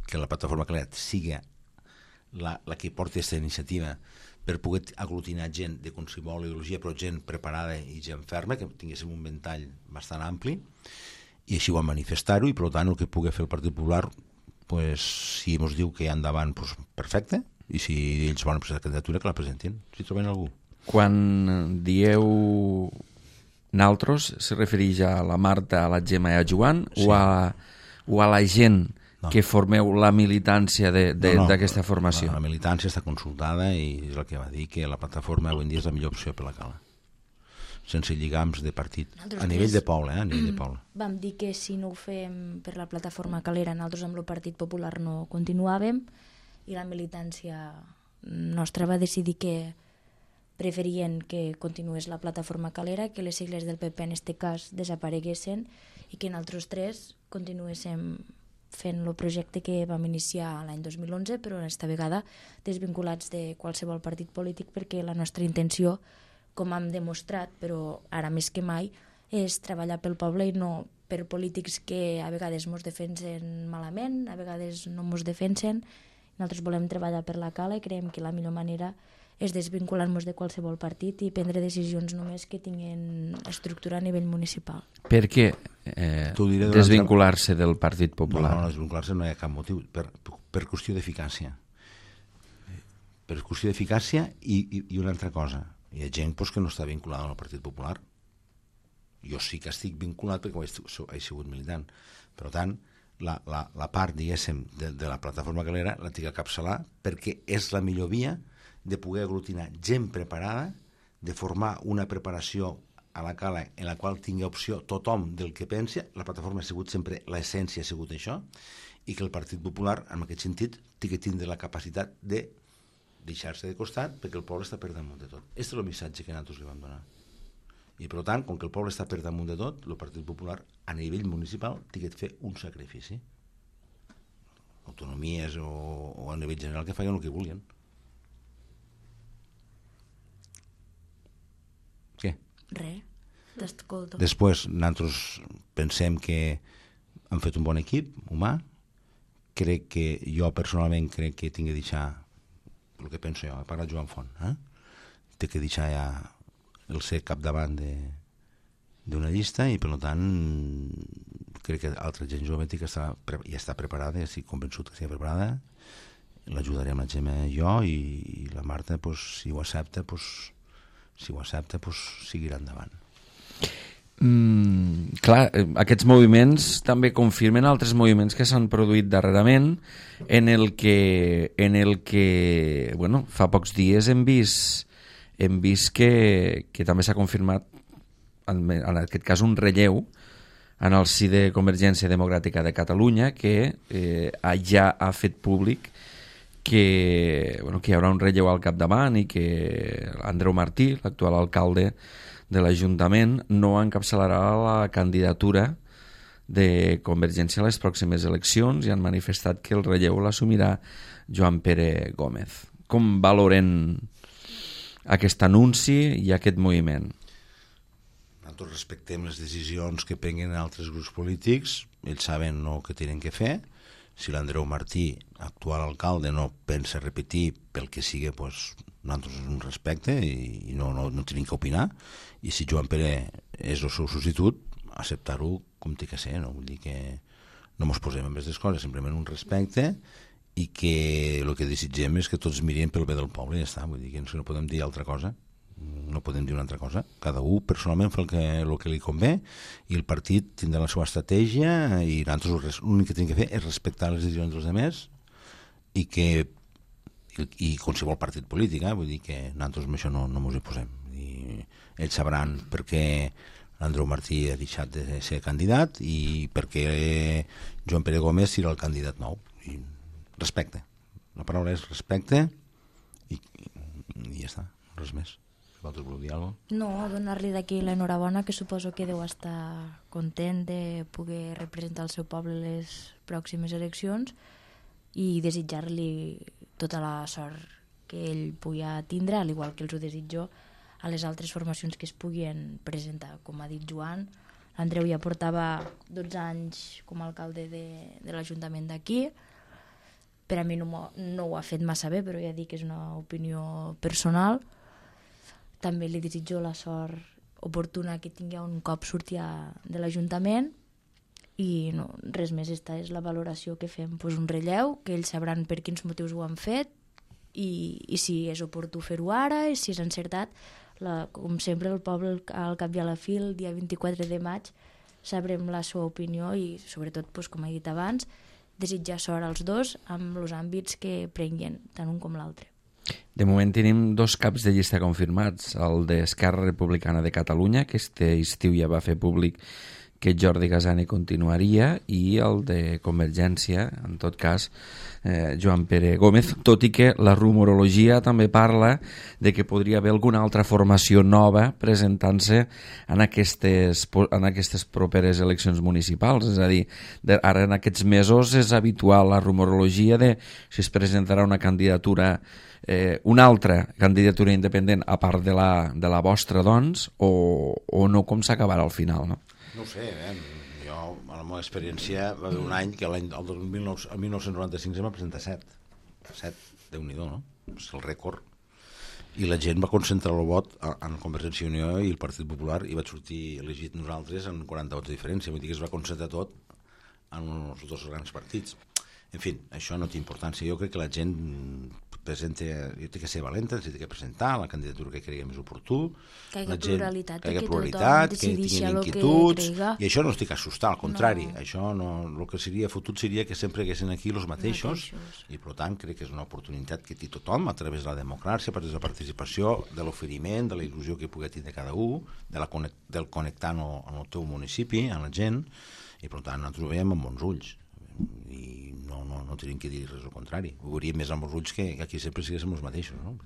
que la plataforma Calera sigui la que porti aquesta iniciativa per poder aglutinar gent de qualsevol ideologia, però gent preparada i gent ferma, que tinguéssim un ventall bastant ampli, i així ho vam manifestar-ho, i per tant el que pugui fer el Partit Popular, pues, si ens diu que hi ha endavant, pues, perfecte, i si ells volen presentar candidatura, que la presentin, si troben algú. Quan dieu naltros, se refereix a la Marta, a la Gemma i a Joan, sí, o a la gent que formeu la militància d'aquesta formació? La militància està consultada i és el que va dir, que la plataforma avui en dia és la millor opció per la Cala, sense lligams de partit, a nivell de poble, a nivell de poble. Vam dir que si no ho fem per la plataforma Calera, nosaltres amb el Partit Popular no continuàvem, i la militància nostra va decidir que preferien que continués la plataforma Calera, que les sigles del PP en este cas desapareguessin i que nosaltres tres continuéssim fent el projecte que vam iniciar l'any 2011, però aquesta vegada desvinculats de qualsevol partit polític, perquè la nostra intenció, com hem demostrat, però ara més que mai, és treballar pel poble i no per polítics que a vegades ens defensen malament, a vegades no ens defensen. Nosaltres volem treballar per la Cala i creiem que la millor manera és desvincular-nos de qualsevol partit i prendre decisions només que tinguin estructura a nivell municipal. Per què desvincular-se del Partit Popular? No, desvincular-se no hi ha cap motiu, per qüestió d'eficàcia. Per qüestió d'eficàcia i una altra cosa. Hi ha gent que no està vinculada al Partit Popular. Jo sí que estic vinculat perquè he sigut militant. Per tant, la part, diguéssim, de la plataforma Calera la tinc a capçalar perquè és la millor via de poder aglutinar gent preparada, de formar una preparació a la Cala en la qual tingui opció tothom del que pensa. La plataforma ha sigut sempre, l'essència ha sigut això, i que el Partit Popular, en aquest sentit, té que tindre la capacitat de deixar-se de costat perquè el poble està per damunt de tot. Aquest és el missatge que nosaltres li vam donar. I per tant, com que el poble està per damunt de tot, el Partit Popular a nivell municipal té que fer un sacrifici. Autonomies o a nivell general que facin el que vulguin. Què? Res, t'escolto. Després, nosaltres pensem que hem fet un bon equip humà. Crec que jo personalment crec que tinc que deixar el que penso jo, he parlat Joan Font, té que deixar ja el ser capdavant d'una llista i per tant crec que altra gent jove ja està preparada, ja estic convençut que estigui preparada, l'ajudarem la Gemma i jo i la Marta, si ho accepta, seguirà endavant. Clar, aquests moviments també confirmen altres moviments que s'han produït darrerament en el que bueno, fa pocs dies hem vist que també s'ha confirmat en aquest cas un relleu en el si de Convergència Democràtica de Catalunya que ja ha fet públic que hi haurà un relleu al capdavant i que Andreu Martí, l'actual alcalde de l'Ajuntament, no encapçalarà la candidatura de Convergència a les pròximes eleccions i han manifestat que el relleu l'assumirà Joan Pere Gómez. Com valoren aquest anunci i aquest moviment? Nosaltres respectem les decisions que prenguen altres grups polítics, ells saben el que tenen que fer. Si l'Andreu Martí, actual alcalde, no pensa repetir pel que sigui, nosaltres un respecte i no tenim que opinar, i si Joan Pere és el seu substitut, acceptar-ho com té que ser, no? Vull dir que no ens posem amb aquestes coses, simplement un respecte i que el que desitgem és que tots mirin pel bé del poble i ja està, vull dir que no podem dir altra cosa, no podem dir una altra cosa, cada un personalment fa el que li convé i el partit tindrà la seva estratègia i nosaltres l'únic que tenim que fer és respectar les decisions dels altres i qualsevol partit polític, vull dir que nosaltres amb això no ens hi posem. Ells sabran per què l'Andreu Martí ha deixat de ser candidat i per què Joan Pere Gómez serà el candidat nou. I respecte. La paraula és respecte i ja està, res més. Vosaltres voleu dir alguna cosa? No, donar-li d'aquí l'enhorabona, que suposo que deu estar content de poder representar el seu poble a les pròximes eleccions, i desitjar-li tota la sort que ell pugui tindre, al igual que els ho desitjo a les altres formacions que es puguin presentar. Com ha dit Joan, l'Andreu ja portava 12 anys com a alcalde de l'Ajuntament d'aquí. Per a mi no ho ha fet massa bé, però ja dic que és una opinió personal. També li desitjo la sort oportuna que tingui un cop surti de l'Ajuntament i no, res més. Esta és la valoració que fem, pues un relleu, que ells sabran per quins motius ho han fet i si és oportú fer-ho ara i si és encertat. Com sempre, el poble, al cap i a la fi, el dia 24 de maig, sabrem la seva opinió i, sobretot, pues, com he dit abans, desitjar sort als dos amb els àmbits que prenguin, tant un com l'altre. De moment tenim 2 caps de llista confirmats, el d'Esquerra Republicana de Catalunya, que este estiu ja va fer públic que Jordi Gasani continuaria, i el de Convergència, en tot cas, Joan Pere Gómez, tot i que la rumorologia també parla de que podria haver alguna altra formació nova presentant-se en aquestes properes eleccions municipals. És a dir, ara en aquests mesos és habitual la rumorologia de si es presentarà una candidatura, una altra candidatura independent a part de la vostra, doncs, o no, com s'acabarà al final, no? No ho sé, jo, a la meva experiència, va haver un any que el 1995 va presentar 7, Déu-n'hi-do, no? És el rècord. I la gent va concentrar el vot en Convergència i Unió i el Partit Popular i va sortir elegit nosaltres en 40 vots de diferència. Vull dir que es va concentrar tot en els 2 grans partits. En fi, això no té importància. Jo crec que la gent té que ser valenta, té que presentar la candidatura que cregui més oportú, que hi hagi pluralitat, que tinguin inquietuds, i això no estic assustat, al contrari, no. Això no, el que seria fotut seria que sempre haguessin aquí els mateixos, i per tant crec que és una oportunitat que té tothom a través de la democràcia, a través de la participació, de l'oferiment, de la il·lusió que pugui tenir cada un, del connectar amb el teu municipi, amb la gent, i per tant nosaltres ho veiem amb bons ulls. I no tenim que dir res al contrari, ho veuríem més amb els ulls que aquí sempre siguéssim els mateixos, no?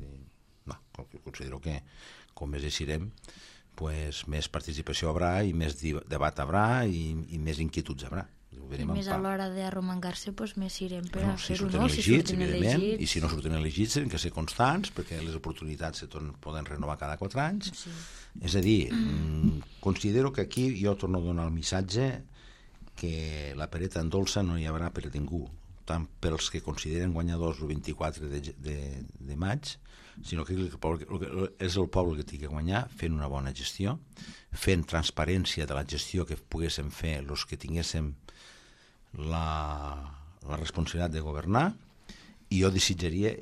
Considero que com més deixirem, pues, més participació haurà i més debat haurà i més inquietuds haurà. I més a l'hora d'arromangar-se, pues, més irem per a si fer-ho, surten no? elegits, evidentment, i si no surten elegits tenen que ser constants, perquè les oportunitats se poden renovar cada 4 anys. Sí. És a dir, considero que aquí jo torno a donar el missatge que la pereta en dolça no hi haurà per a ningú, tant pels que consideren guanyadors el 24 de maig, sinó que és el poble que té que guanyar fent una bona gestió, fent transparència de la gestió que poguéssim fer els que tinguéssim la responsabilitat de governar, i jo desitjaria,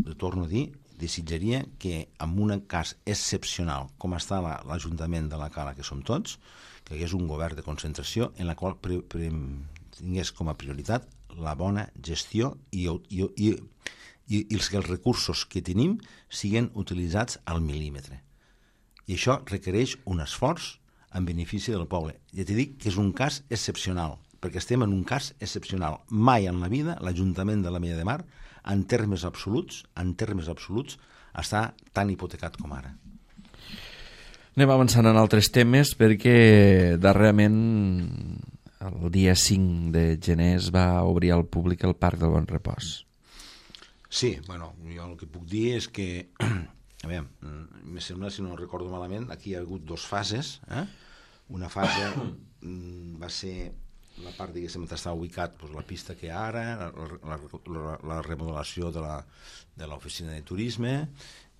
ho torno a dir, desitjaria que en un cas excepcional com està l'Ajuntament de la Cala, que som tots, que hi hagués un govern de concentració en la qual tingués com a prioritat la bona gestió i els recursos que tenim siguin utilitzats al mil·límetre. I això requereix un esforç en benefici del poble. Ja t'he dit que és un cas excepcional, perquè estem en un cas excepcional. Mai en la vida l'Ajuntament de l'Ametlla de Mar, en termes absoluts, està tan hipotecat com ara. Anem avançant en altres temes perquè darrerament el dia 5 de gener es va obrir al públic el Parc del Bon Repòs. Sí, bueno, jo el que puc dir és que, a veure, me sembla, si no recordo malament, aquí hi ha hagut 2 fases. Una fase va ser la part, diguéssim, on està ubicat la pista que hi ha ara, la remodelació de l'oficina de turisme,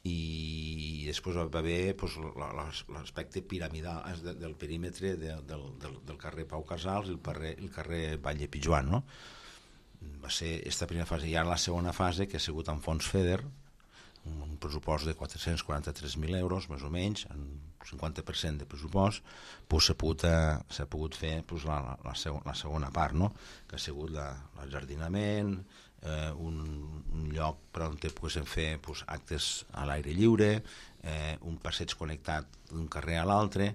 i després va haver l'aspecte piramidal del perímetre del carrer Pau Casals i el carrer Vall de Pijuan, no? Va ser aquesta primera fase. I ara la segona fase, que ha sigut amb fons FEDER, un pressupost de 443.000 euros, més o menys, en 50% de pressupost, s'ha pogut fer la segona part, no? Que ha sigut l'ajardinament, un lloc per on poguéssim fer actes a l'aire lliure, un passeig connectat d'un carrer a l'altre,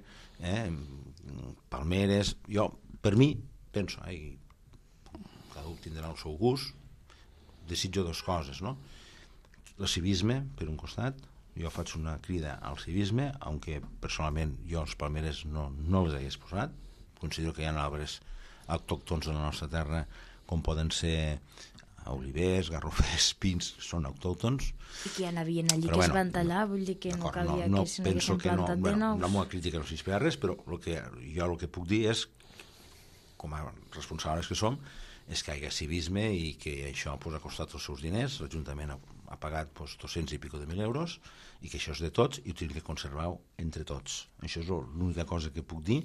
palmeres. Jo, per mi, penso, cada un tindrà el seu gust, desitjo 2 coses, no? El civisme, per un costat, jo faig una crida al civisme, aunque personalment jo els palmeres no les hagués posat. Considero que hi ha arbres autòctons de la nostra terra, com poden ser olivers, garrofers, pins, són autòctons. I que ja n'havien allí que es van tallar, vull dir que no calia que se n'haguessin plantat de nous. La meva crítica no s'inspira res, però jo el que puc dir és, com a responsables que som, és que hi ha civisme i que això ha costat els seus diners, l'Ajuntament ha pagat 200 i pico de 1.000 euros, i que això és de tots i ho tenim que conservar entre tots. Això és l'única cosa que puc dir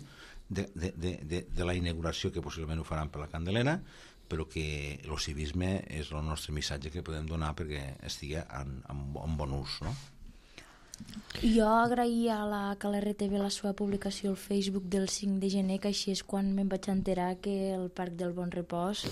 de la inauguració, que possiblement ho faran per la Candelera, però que el civisme és el nostre missatge que podem donar perquè estigui en bon ús, no? Jo agraïa que l'RTV la seva publicació al Facebook del 5 de gener, que així és quan me'n vaig enterar que el Parc del Bon Repòs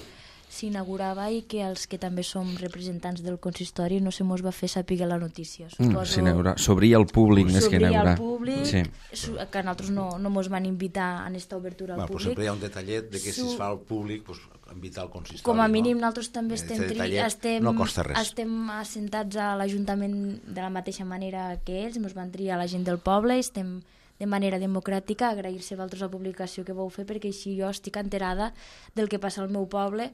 s'inaugurava i que els que també som representants del consistori no se mos va fer saber la notícia. S'obria al públic més que inaugurar. S'obria al públic, que nosaltres no mos van invitar en aquesta obertura al públic. Sempre hi ha un detallet de que si es fa al públic, invitar al consistori. Com a mínim nosaltres també no costa res. Estem assentats a l'Ajuntament de la mateixa manera que ells, mos van triar la gent del poble i estem de manera democràtica, agrair-se a vosaltres la publicació que vau fer, perquè així jo estic enterada del que passa al meu poble,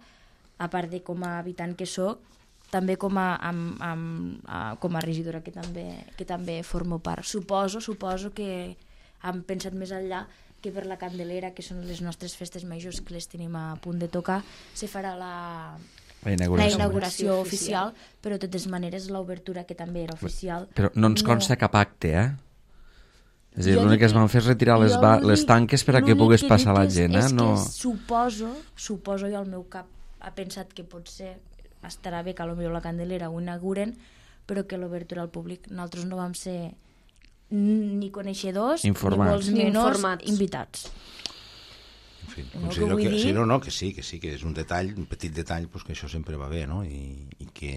a part de com a habitant que sóc, també com a regidora que també formo part. Suposo que han pensat més enllà que per la Candelera, que són les nostres festes majors que les tenim a punt de tocar, se farà la inauguració oficial, però de totes maneres l'obertura, que també era oficial. Però no ens consta cap acte, eh? És a dir, l'únic que es van fer és retirar les tanques per a que pogués passar la gent. És que suposo, jo al meu cap ha pensat que potser estarà bé que potser la Candelera ho inauguren, però que l'obertura al públic nosaltres no vam ser ni coneixedors ni molts menys invitats. En fi, considero que sí, que és un detall, un petit detall, que això sempre va bé, no? I que...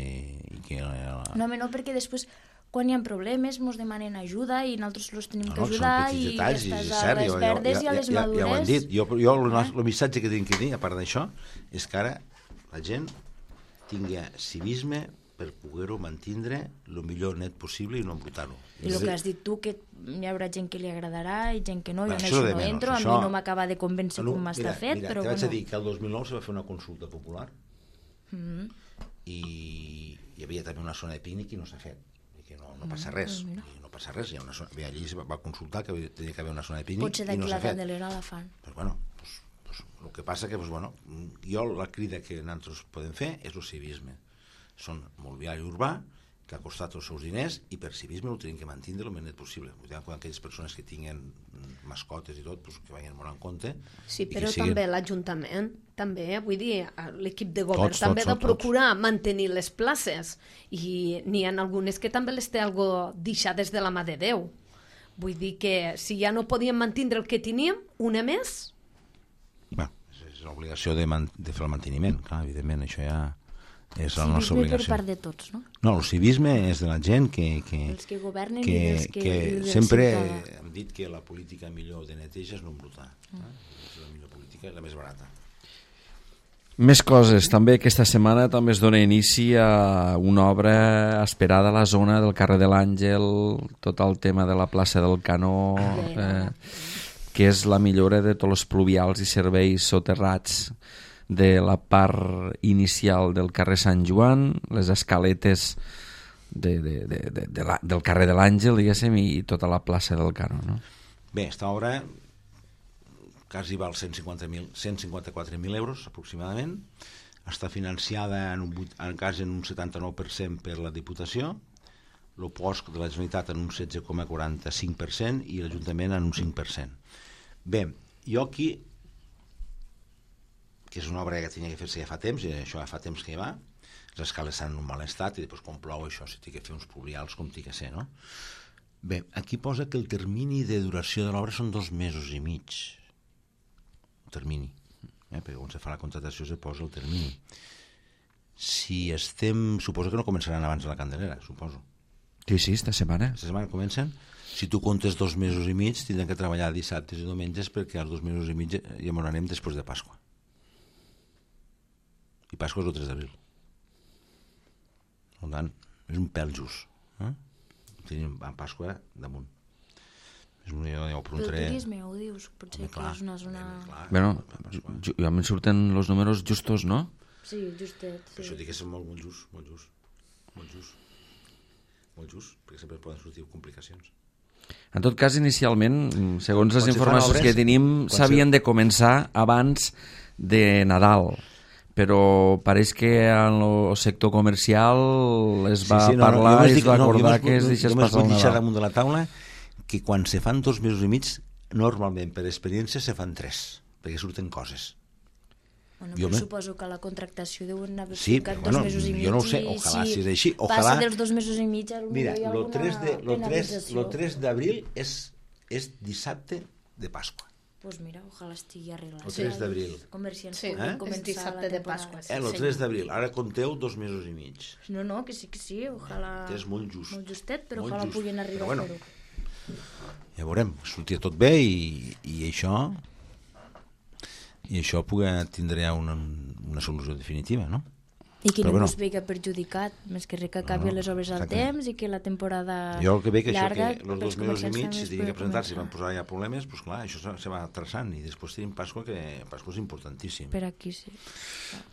No, perquè després quan hi ha problemes mos demanen ajuda i nosaltres els tenim que ajudar, i estàs a les verdes i a les madures. Ja ho hem dit. Jo el missatge que tinc que dir, a part d'això, és que ara la gent tingui civisme per poder-ho mantindre el millor net possible i no embrutar-ho. I el que has dit tu, que hi haurà gent que li agradarà i gent que no, jo en això no entro, a mi no m'acaba de convèncer com està fet, però bueno. T'haig de dir que el 2009 se va fer una consulta popular i hi havia també una zona de pícnic i no s'ha fet. No passa res, allí es va consultar que tenia que haver una zona de pícnic. Potser d'aquí la Candelera la fan. El que passa que jo la crida que nosaltres podem fer és el civisme. Són mobiliari urbà que ha costat els seus diners i per civisme ho tenim que mantenir el més net possible. Quan aquelles persones que tinguen mascotes i tot, que vagin molt en compte. Sí, però també l'Ajuntament, també, vull dir, l'equip de govern també ha de procurar mantenir les places, i n'hi ha algunes que també les té algo deixades de la mà de Déu. Vull dir que si ja no podíem mantenir el que teníem, una més... És l'obligació de fer el manteniment, clar, evidentment, això ja... és la nostra obligació. Civisme per part de tots, no? No, el civisme és de la gent els que governen i els que sempre hem dit que la política millor de neteja és no embrutar. És la millor política i la més barata. Més coses. També aquesta setmana també es dona inici a una obra esperada a la zona del carrer de l'Àngel, tot el tema de la plaça del Canó, que és la millora de tots els pluvials i serveis soterrats de la part inicial del carrer Sant Joan, les escaletes del carrer de l'Àngel, diguéssim, i tota la plaça del Canó, no? Bé, esta obra quasi val 154.000 euros aproximadament, està financiada en un 79% per la Diputació, el POSC de la Generalitat en un 16,45% i l'Ajuntament en un 5%. Bé, jo aquí, que és una obra que tenia que fer-se ja fa temps, i això ja fa temps que hi va, les escales estan en un mal estat, i després quan plou això s'ha de fer uns pluvials com té que ser, no? Bé, aquí posa que el termini de duració de l'obra són 2 mesos i mig. El termini. Perquè quan se fa la contractació se posa el termini. Suposo que no començaran abans de la Candelera, suposo. Sí, esta setmana. Esta setmana comencen. Si tu comptes 2 mesos i mig, tindran que treballar dissabtes i diumenges, perquè els 2 mesos i mig ja m'ho anem després de Pasqua. I Pasqua és el 3 d'abril. Per tant, és un pèl just. Tenim a Pasqua damunt. El turisme, ho dius? Potser que és una zona... Bueno, a mi surten els números justos, no? Sí, justet. Per això dic que és molt just, perquè sempre poden sortir complicacions. En tot cas, inicialment, segons les Quan se fan informacions obres, que tenim, s'havien de començar abans de Nadal, però pareix que en el sector comercial es va parlar i es va acordar que es deixés passar el Nadal. Jo m'ho Nadal. damunt de la taula que quan se fan 2 mesos i mig, normalment per experiència se fan 3, perquè surten coses. Bueno, però suposo que la contractació deuen haver Sí, ficat però 2 mesos i mig. jo no ho sé, ojalà si és així. Passa dels 2 mesos i mig, Mira, hi ha alguna penalització. el 3 d'abril és dissabte de Pasqua. Pues mira, ojalà estigui arreglat. El 3 d'abril. Comerciants Sí, puguin és començar dissabte la de temporada. Pasqua. El 3 d'abril, ara compteu 2 mesos i mig. No, que sí, ojalà... És molt just. Molt justet, però Molt ojalà just. puguin arribar Però a fer-ho. Ja veurem, sortia tot bé i això tindrà una solució definitiva, no? I que Però ningú bueno. es veiga perjudicat, més que res que acabi les obres al exactament. temps i que la temporada Jo el que veig llarga... això, que els 2 mesos i mig, si tinguin que presentar, si van posar ja problemes, doncs clar, això se va traçant, i després tenim Pasqua, que Pasqua és importantíssim. Per aquí sí,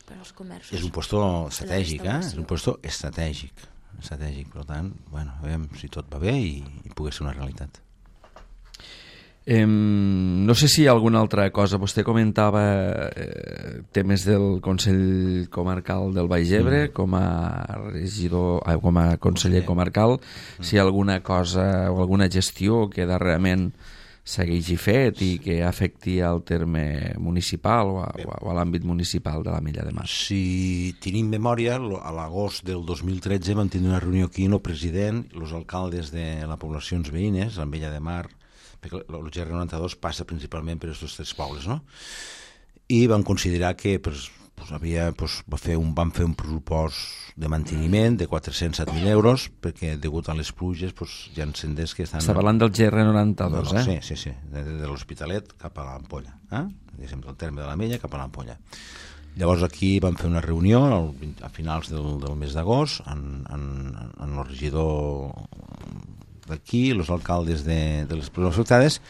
per als comerços. És un puesto estratègic, restauració. És un puesto estratègic, per tant, bueno, a veure si tot va bé i pugui ser una realitat. No sé si hi ha alguna altra cosa. Vostè comentava temes del Consell Comarcal del Baix Ebre com a regidor, com a conseller comarcal, si hi ha alguna cosa o alguna gestió que darrerament s'hagi fet i que afecti al terme municipal o a l'àmbit municipal de l'Ametlla de Mar. Si tenim memòria, a l'agost del 2013 vam tenir una reunió aquí amb el president i els alcaldes de les poblacions veïnes, l'Ametlla de Mar, perquè el GR92 passa principalment per aquests 3 pobles, no? I vam considerar que vam fer un pressupost de manteniment de 407.000 euros perquè degut a les pluges hi ha senders que estan... Està parlant del GR92, Sí, de l'Hospitalet cap a l'Ampolla, del terme de l'Ametlla cap a l'Ampolla. Llavors aquí vam fer una reunió a finals del mes d'agost amb el regidor d'aquí, els alcaldes de les poblacions afectades,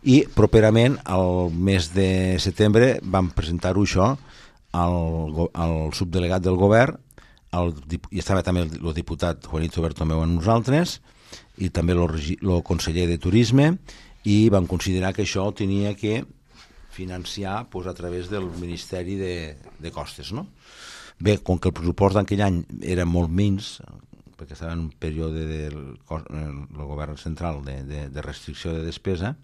i properament al mes de setembre vam presentar-ho això al subdelegat del govern, i estava també el diputat Juanito Bertomeu amb nosaltres, i també el conseller de Turisme, i vam considerar que això tenia que financiar a través del Ministeri de Costes, no? Bé, com que el pressupost d'aquell any era molt menys, perquè estava en un període del govern central de restricció de despesa,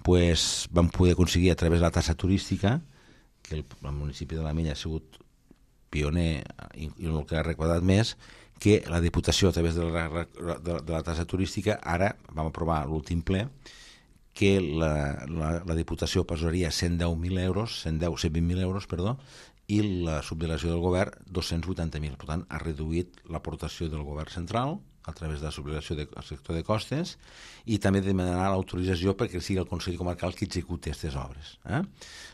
vam poder aconseguir a través de la tassa turística, que el municipi de l'Ametlla ha sigut pioner i el que ha recordat més, que la Diputació, a través de la tassa turística, ara vam aprovar l'últim ple, que la Diputació posaria 120.000 euros, 120.000 euros, i la subdelegació del govern 280.000. Per tant, ha reduït l'aportació del govern central a través de la subdelegació del sector de costes i també demanar l'autorització perquè sigui el Consell Comarcal qui executi aquestes obres.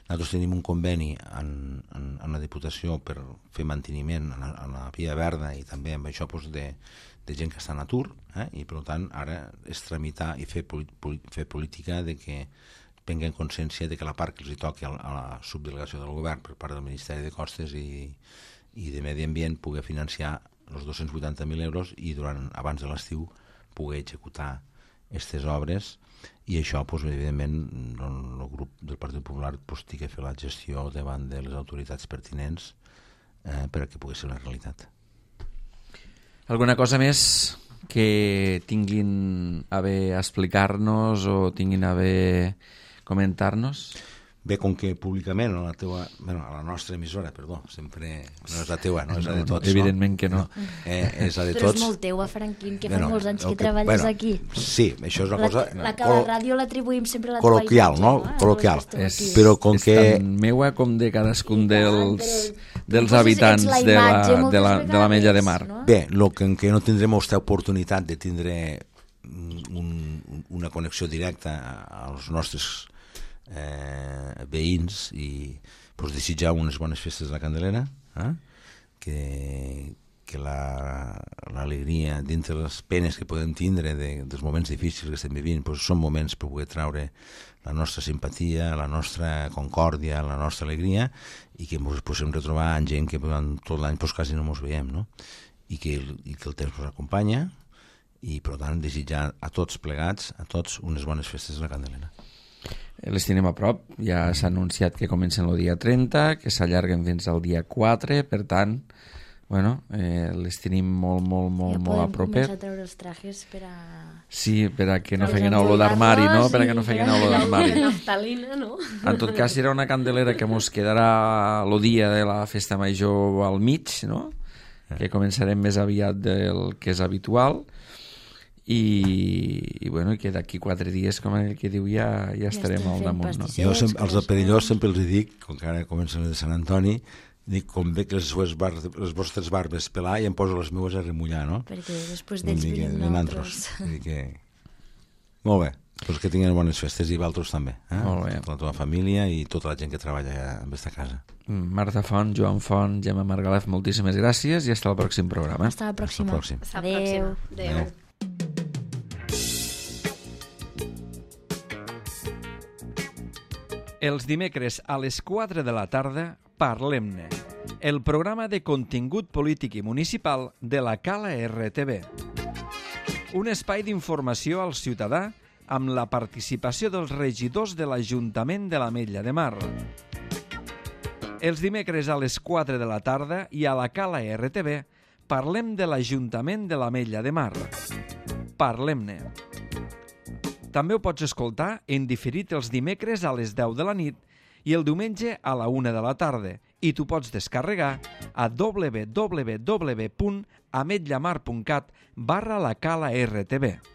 Nosaltres tenim un conveni en la Diputació per fer manteniment a la Via Verda i també amb això de gent que està en atur, i per tant ara és tramitar i fer política de que prenguen consciència de que la part que els toqui a la subdelegació del govern per part del Ministeri de Costes i de Medi Ambient pugui financiar els 280.000 euros i abans de l'estiu pugui executar aquestes obres, i això, evidentment, el grup del Partit Popular tingui que fer la gestió davant de les autoritats pertinents perquè pugui ser una realitat. Alguna cosa més que tinguin a bé explicar-nos o tinguin a bé comentar-nos? Bé, com que públicament a la nostra emissora, sempre no és la teua, no és la de tots. Evidentment que no. És la de Però tots. és molt teua, Franquín, que fa molts anys que treballes aquí. Sí, això és una cosa... La ràdio l'atribuïm sempre a la col·loquial, no? Col·loquial. Però com que... És tan meua com de cadascun dels habitants de l'Ametlla de Mar. Bé, el que no tindrem aquesta oportunitat de tindre una connexió directa als nostres veïns i desitjar unes bones festes de la Candelera, que la l'alegria, dintre les penes que podem tindre dels moments difícils que estem vivint, doncs són moments per poder traure la nostra simpatia, la nostra concòrdia, la nostra alegria, i que ens podem retrobar en gent que durant tot l'any quasi no ens veiem, no? I que el temps ens acompanya, i per tant desitjar a tots plegats, a tots, unes bones festes de la Candelera. Les tenim a prop, ja s'ha anunciat que comencen el dia 30, que s'allarguen fins al dia 4, per tant, bueno, les tenim molt a propet. Ja podem començar a treure els trajes per a... Sí, per a que no feien olor d'armari, no? Per a que no feien olor d'armari. Naftalina, no? En tot cas, serà una Candelera que mos quedarà el dia de la festa major al mig, no? Que començarem més aviat del que és habitual, i bueno, que d'aquí 4 dies, com el que diu, ja estarem al damunt, no? Jo als de Perellós sempre els dic, com que ara comencen les de Sant Antoni, dic, com ve que les vostres barbes pelar, i em poso les meues a remullar, no? Perquè després d'ells venim nosaltres. Molt bé, doncs que tinguin bones festes, i vosaltres també, Molt bé. Tota la teva família i tota la gent que treballa en aquesta casa. Marta Font, Joan Font, Gemma Margalef, moltíssimes gràcies i fins al pròxim programa. Fins la pròxima. Adéu. Adéu. Els dimecres a les 4 de la tarda, Parlem-ne, el programa de contingut polític i municipal de la Cala RTV. Un espai d'informació al ciutadà amb la participació dels regidors de l'Ajuntament de l'Ametlla de Mar. Els dimecres a les 4 de la tarda i a la Cala RTV parlem de l'Ajuntament de l'Ametlla de Mar. Parlem-ne. També ho pots escoltar en diferit els dimecres a les 10 de la nit i el diumenge a la 1 de la tarda, i t'ho pots descarregar a www.ametllamar.cat/la Cala RTV.